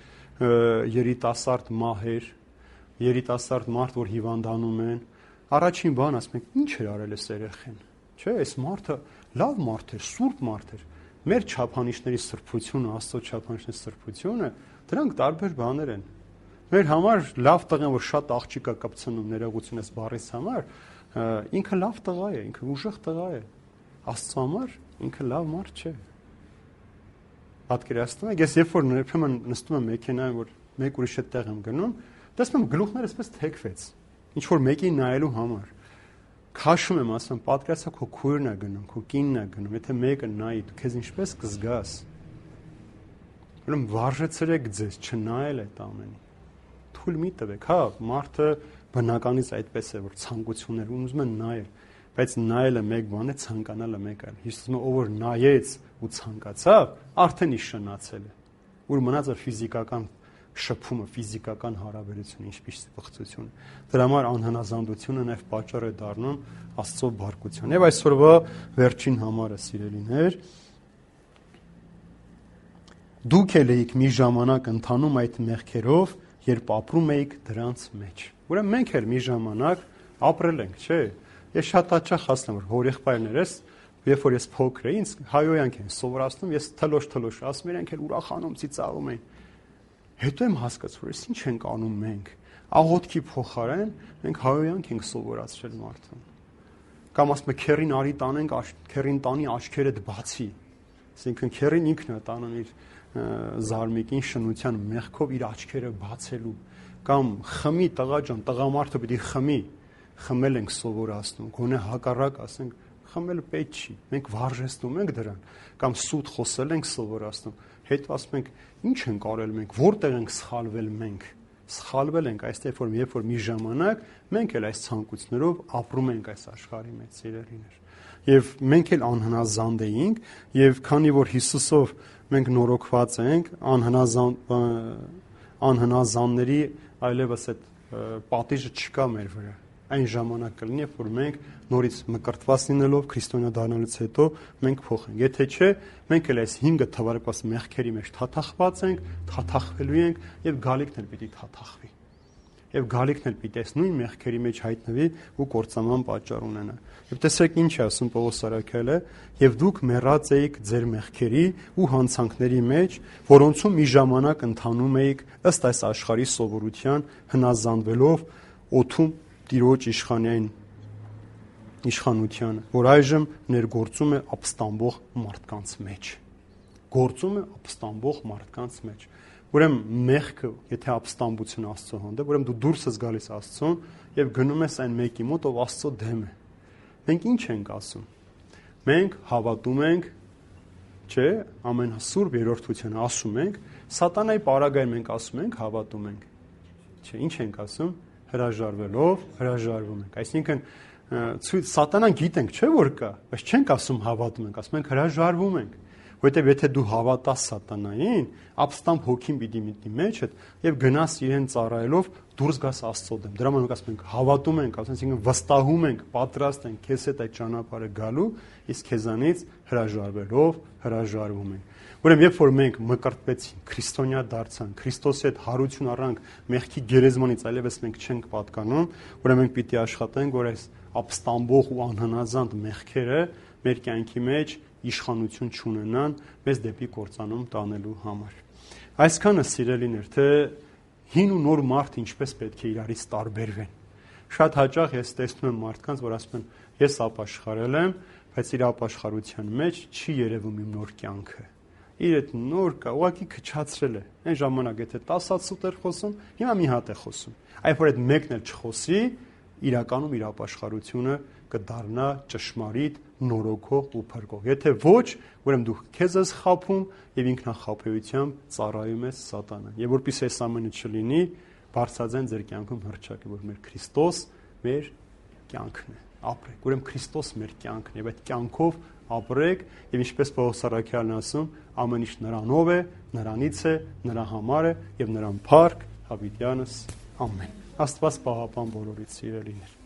երիտասարդ մահեր, երիտասարդ մարդ, որ հիվանդանում են, առաջին բան ասում ենք, ինչ էր արել այս երեխեն։ Չէ, այս մարդը լավ մարդ էր, սուրբ մարդ էր։ Մեր չափանիշների սրբությունը, Աստծո չափանիշների սրբությունը, դրանք տարբեր բաներ են։ Մեր համար լավ տղան, որ շատ աղջիկ է կպցնում ներողություն ես բառից համար, ինքը լավ տղա է, ինքը ուժեղ տղա է։ Աստծո համար ինքը լավ մարդ չէ։ Պատկերացնում եք, ես երբ որ երբեմն նստում եմ մեքենայում, որ մեկ ուրիշ տեղ եմ գնում, տեսնում եմ գլուխները այսպես թեքվեց, ինչ որ մեկին նայելու համար։ Քաշում եմ, ասում, պատկերացա քո քույրն է գնում, քո կինն է գնում, եթե մեկը նայի, դու քեզ ինչպես կզգաս։ Ուրեմն վարժեցրեք ձեզ չնայել այդ ամենին։ Թույլ մի տվեք, հա, մարդը բնականից այդպես է, որ ցանկություններ ուզում են նայել, բայց նայելը մեկ բան է, ցանկանալը մեկ այլ։ Հիշում եմ, ով որ նայեց ու ցանկացավ, արդեն իշնացել է։ Ուր մնաց է ֆիզիկական շփումը, ֆիզիկական հարաբերությունը, ինչպես բխծությունը։ Դրա համար անհնազանդությունը նաև պատճառ է դառնում Աստծո բարկության։ Եվ այսօրվա վերջին համարը, սիրելիներ, դուք էլ եք մի ժամանակ ընթանում այդ մեղքերով, երբ ապրում էիք դրանց մեջ։ Ուրեմն մենք էլ մի ժամանակ ապրել ենք, չէ՞։ Ես շատ հաճախ ասում եմ, որ հորեղբայրներս, երբ որ ես փոքր էի, ինձ հայոյանք են սովորացնում, ես թլոշ ասում իրենք էլ ուրախանում, ծիծաղում էին։ Հետո եմ հասկացել, որ ինչ ենք անում մենք։ Աղոթքի փոխարեն մենք հայոյանք ենք սովորացրել մարդուն։ Կամ ասում եմ քերին արի տանենք, քերին տանի աչքերդ բացի։ Այսինքն քերին ինքն է տանում իր զարմիկին շնության մեղքով իր աչքերը բացելու։ Կամ խմի տղա ջան, տղամարդը պիտի խմի։ Խմել ենք սովորացնում, գոնե հակառակ ասենք խմելը պետք չի։ Մենք վարժեցնում ենք դրան։ Կամ սուտ խոսել ենք սովորացնում։ Հետո ասում ենք, ինչ ենք արել մենք, որտեղ ենք սխալվել մենք։ Սխալվել ենք այստեղ, որ երբ որ մի ժամանակ մենք էլ այս ցանկություններով ապրում ենք այս աշխարհի մեջ, սիրելիներ։ Եվ մենք էլ անհնազանդ էինք, եւ քանի որ Հիսուսով մենք նորոգված ենք, անհնազանդների այլևս այդ պատիժը չկա մեր վրա։ Այն ժամանակ կլինի, երբ որ մենք նորից մկրտված լինելով քրիստոնյա դառնալուց հետո մենք փոխենք։ Եթե չէ, մենք էլ այս 5 թվարկված մեղքերի մեջ թաթախված ենք, թաթախվելու ենք եւ գալիքն էլ պիտի թաթախվի։ Եվ գալիքն էլ պիտի այս նույն մեղքերի մեջ հայտնվի ու կործանման պատճառ ունենա։ Եվ տեսեք ինչ է ասում Պողոս Արաքյալը, եւ դուք մեռած էիք ձեր մեղքերի ու հանցանքների մեջ, որոնցում մի ժամանակ ընթանում էիք ըստ այս աշխարհի սովորության, հնազանդվելով օդում Տիրոջ իշխանությանը, որ այժմ ներգործում է ապստամբող մարդկանց մեջ։ Գործում է ապստամբող մարդկանց մեջ։ Ուրեմն մեղքը, եթե ապստամբություն Աստծո հանդեպ, ուրեմն դու դուրս ես գալիս Աստծուն եւ գնում ես այն մեկի մոտ, ով Աստծո դեմ է։ Մենք ինչ ենք ասում։ Մենք հավատում ենք, չէ, ամենասուրբ երրորդությունը ասում ենք, սատանայի պարագային մենք ասում ենք, հավատում ենք։ Չէ, ինչ ենք ասում։ Հրաժարվելով հրաժարվում ենք։ Այսինքն սատանան գիտենք, չէ՞ որ կա, բայց չենք ասում հավատում ենք, ասում ենք հրաժարվում ենք։ Որովհետև եթե դու հավատաս սատանային, ապստամբ հոգին պիտի մտնի մեջդ եւ գնաս իրեն ծառայելով դուրս գաս Աստծո դեմ։ Դրա համար ասում ենք հավատում ենք, այսինքն վստահում ենք, պատրաստ ենք քեզ հետ այդ ճանապարհը գալու, իսկ քեզանից հրաժարվելով հրաժարվում ենք։ Ուրեմն երբ որ մենք մկրտվեցինք, քրիստոնյա դարձանք, Քրիստոսի հետ հարություն առանք մեղքի գերեզմանից, այլևս մենք չենք պատկանում, ուրեմն մենք պիտի աշխատենք, որ այս ապստամբող ու անհնազանդ մեղքերը մեր կյանքի մեջ իշխանություն չունենան մեզ դեպի կործանում տանելու համար։ Այսքանը սիրելիներ, թե հին ու նոր մարդը ինչպես պետք է իրարից տարբերվեն։ Շատ հաճախ ես տեսնում եմ մարդկանց, որ ասում են, ես ապաշխարել եմ, բայց իր ապաշխարության մեջ չի երևում իմ նոր կյանքը։ Իր այդ նոր կա, ուղղակի քչացրել է։ Այն ժամանակ եթե 10 հատ սուտ էր խոսում, հիմա մի հատ է խոսում։ Այլ որ այդ մեկն էլ չխոսի, իրականում իր ապաշխարությունը կդառնա ճշմարիտ, նորոգող ու փրկող։ Եթե ոչ, ուրեմն դու քեզ ես խաբում եւ ինքնախաբեությամբ ծառայում ես սատանան։ Եվ որպեսզի այս ամենը չլինի, բարձրաձայն ձեր կյանքում հռչակի, որ մեր Քրիստոս մեր կյանքն է։ Ապրեք, ուրեմն Քրիստոս մեր կյանքն է, եւ այդ կյանքով ապրեք, եւ ինչպես Պողոս առաքյալն ասում, ամեն ինչ նրանով է, նրանից է, նրա համար է եւ նրան փառք հավիտյանս ամեն։ Աստված պահապան բոլորիդ սիրելիներ։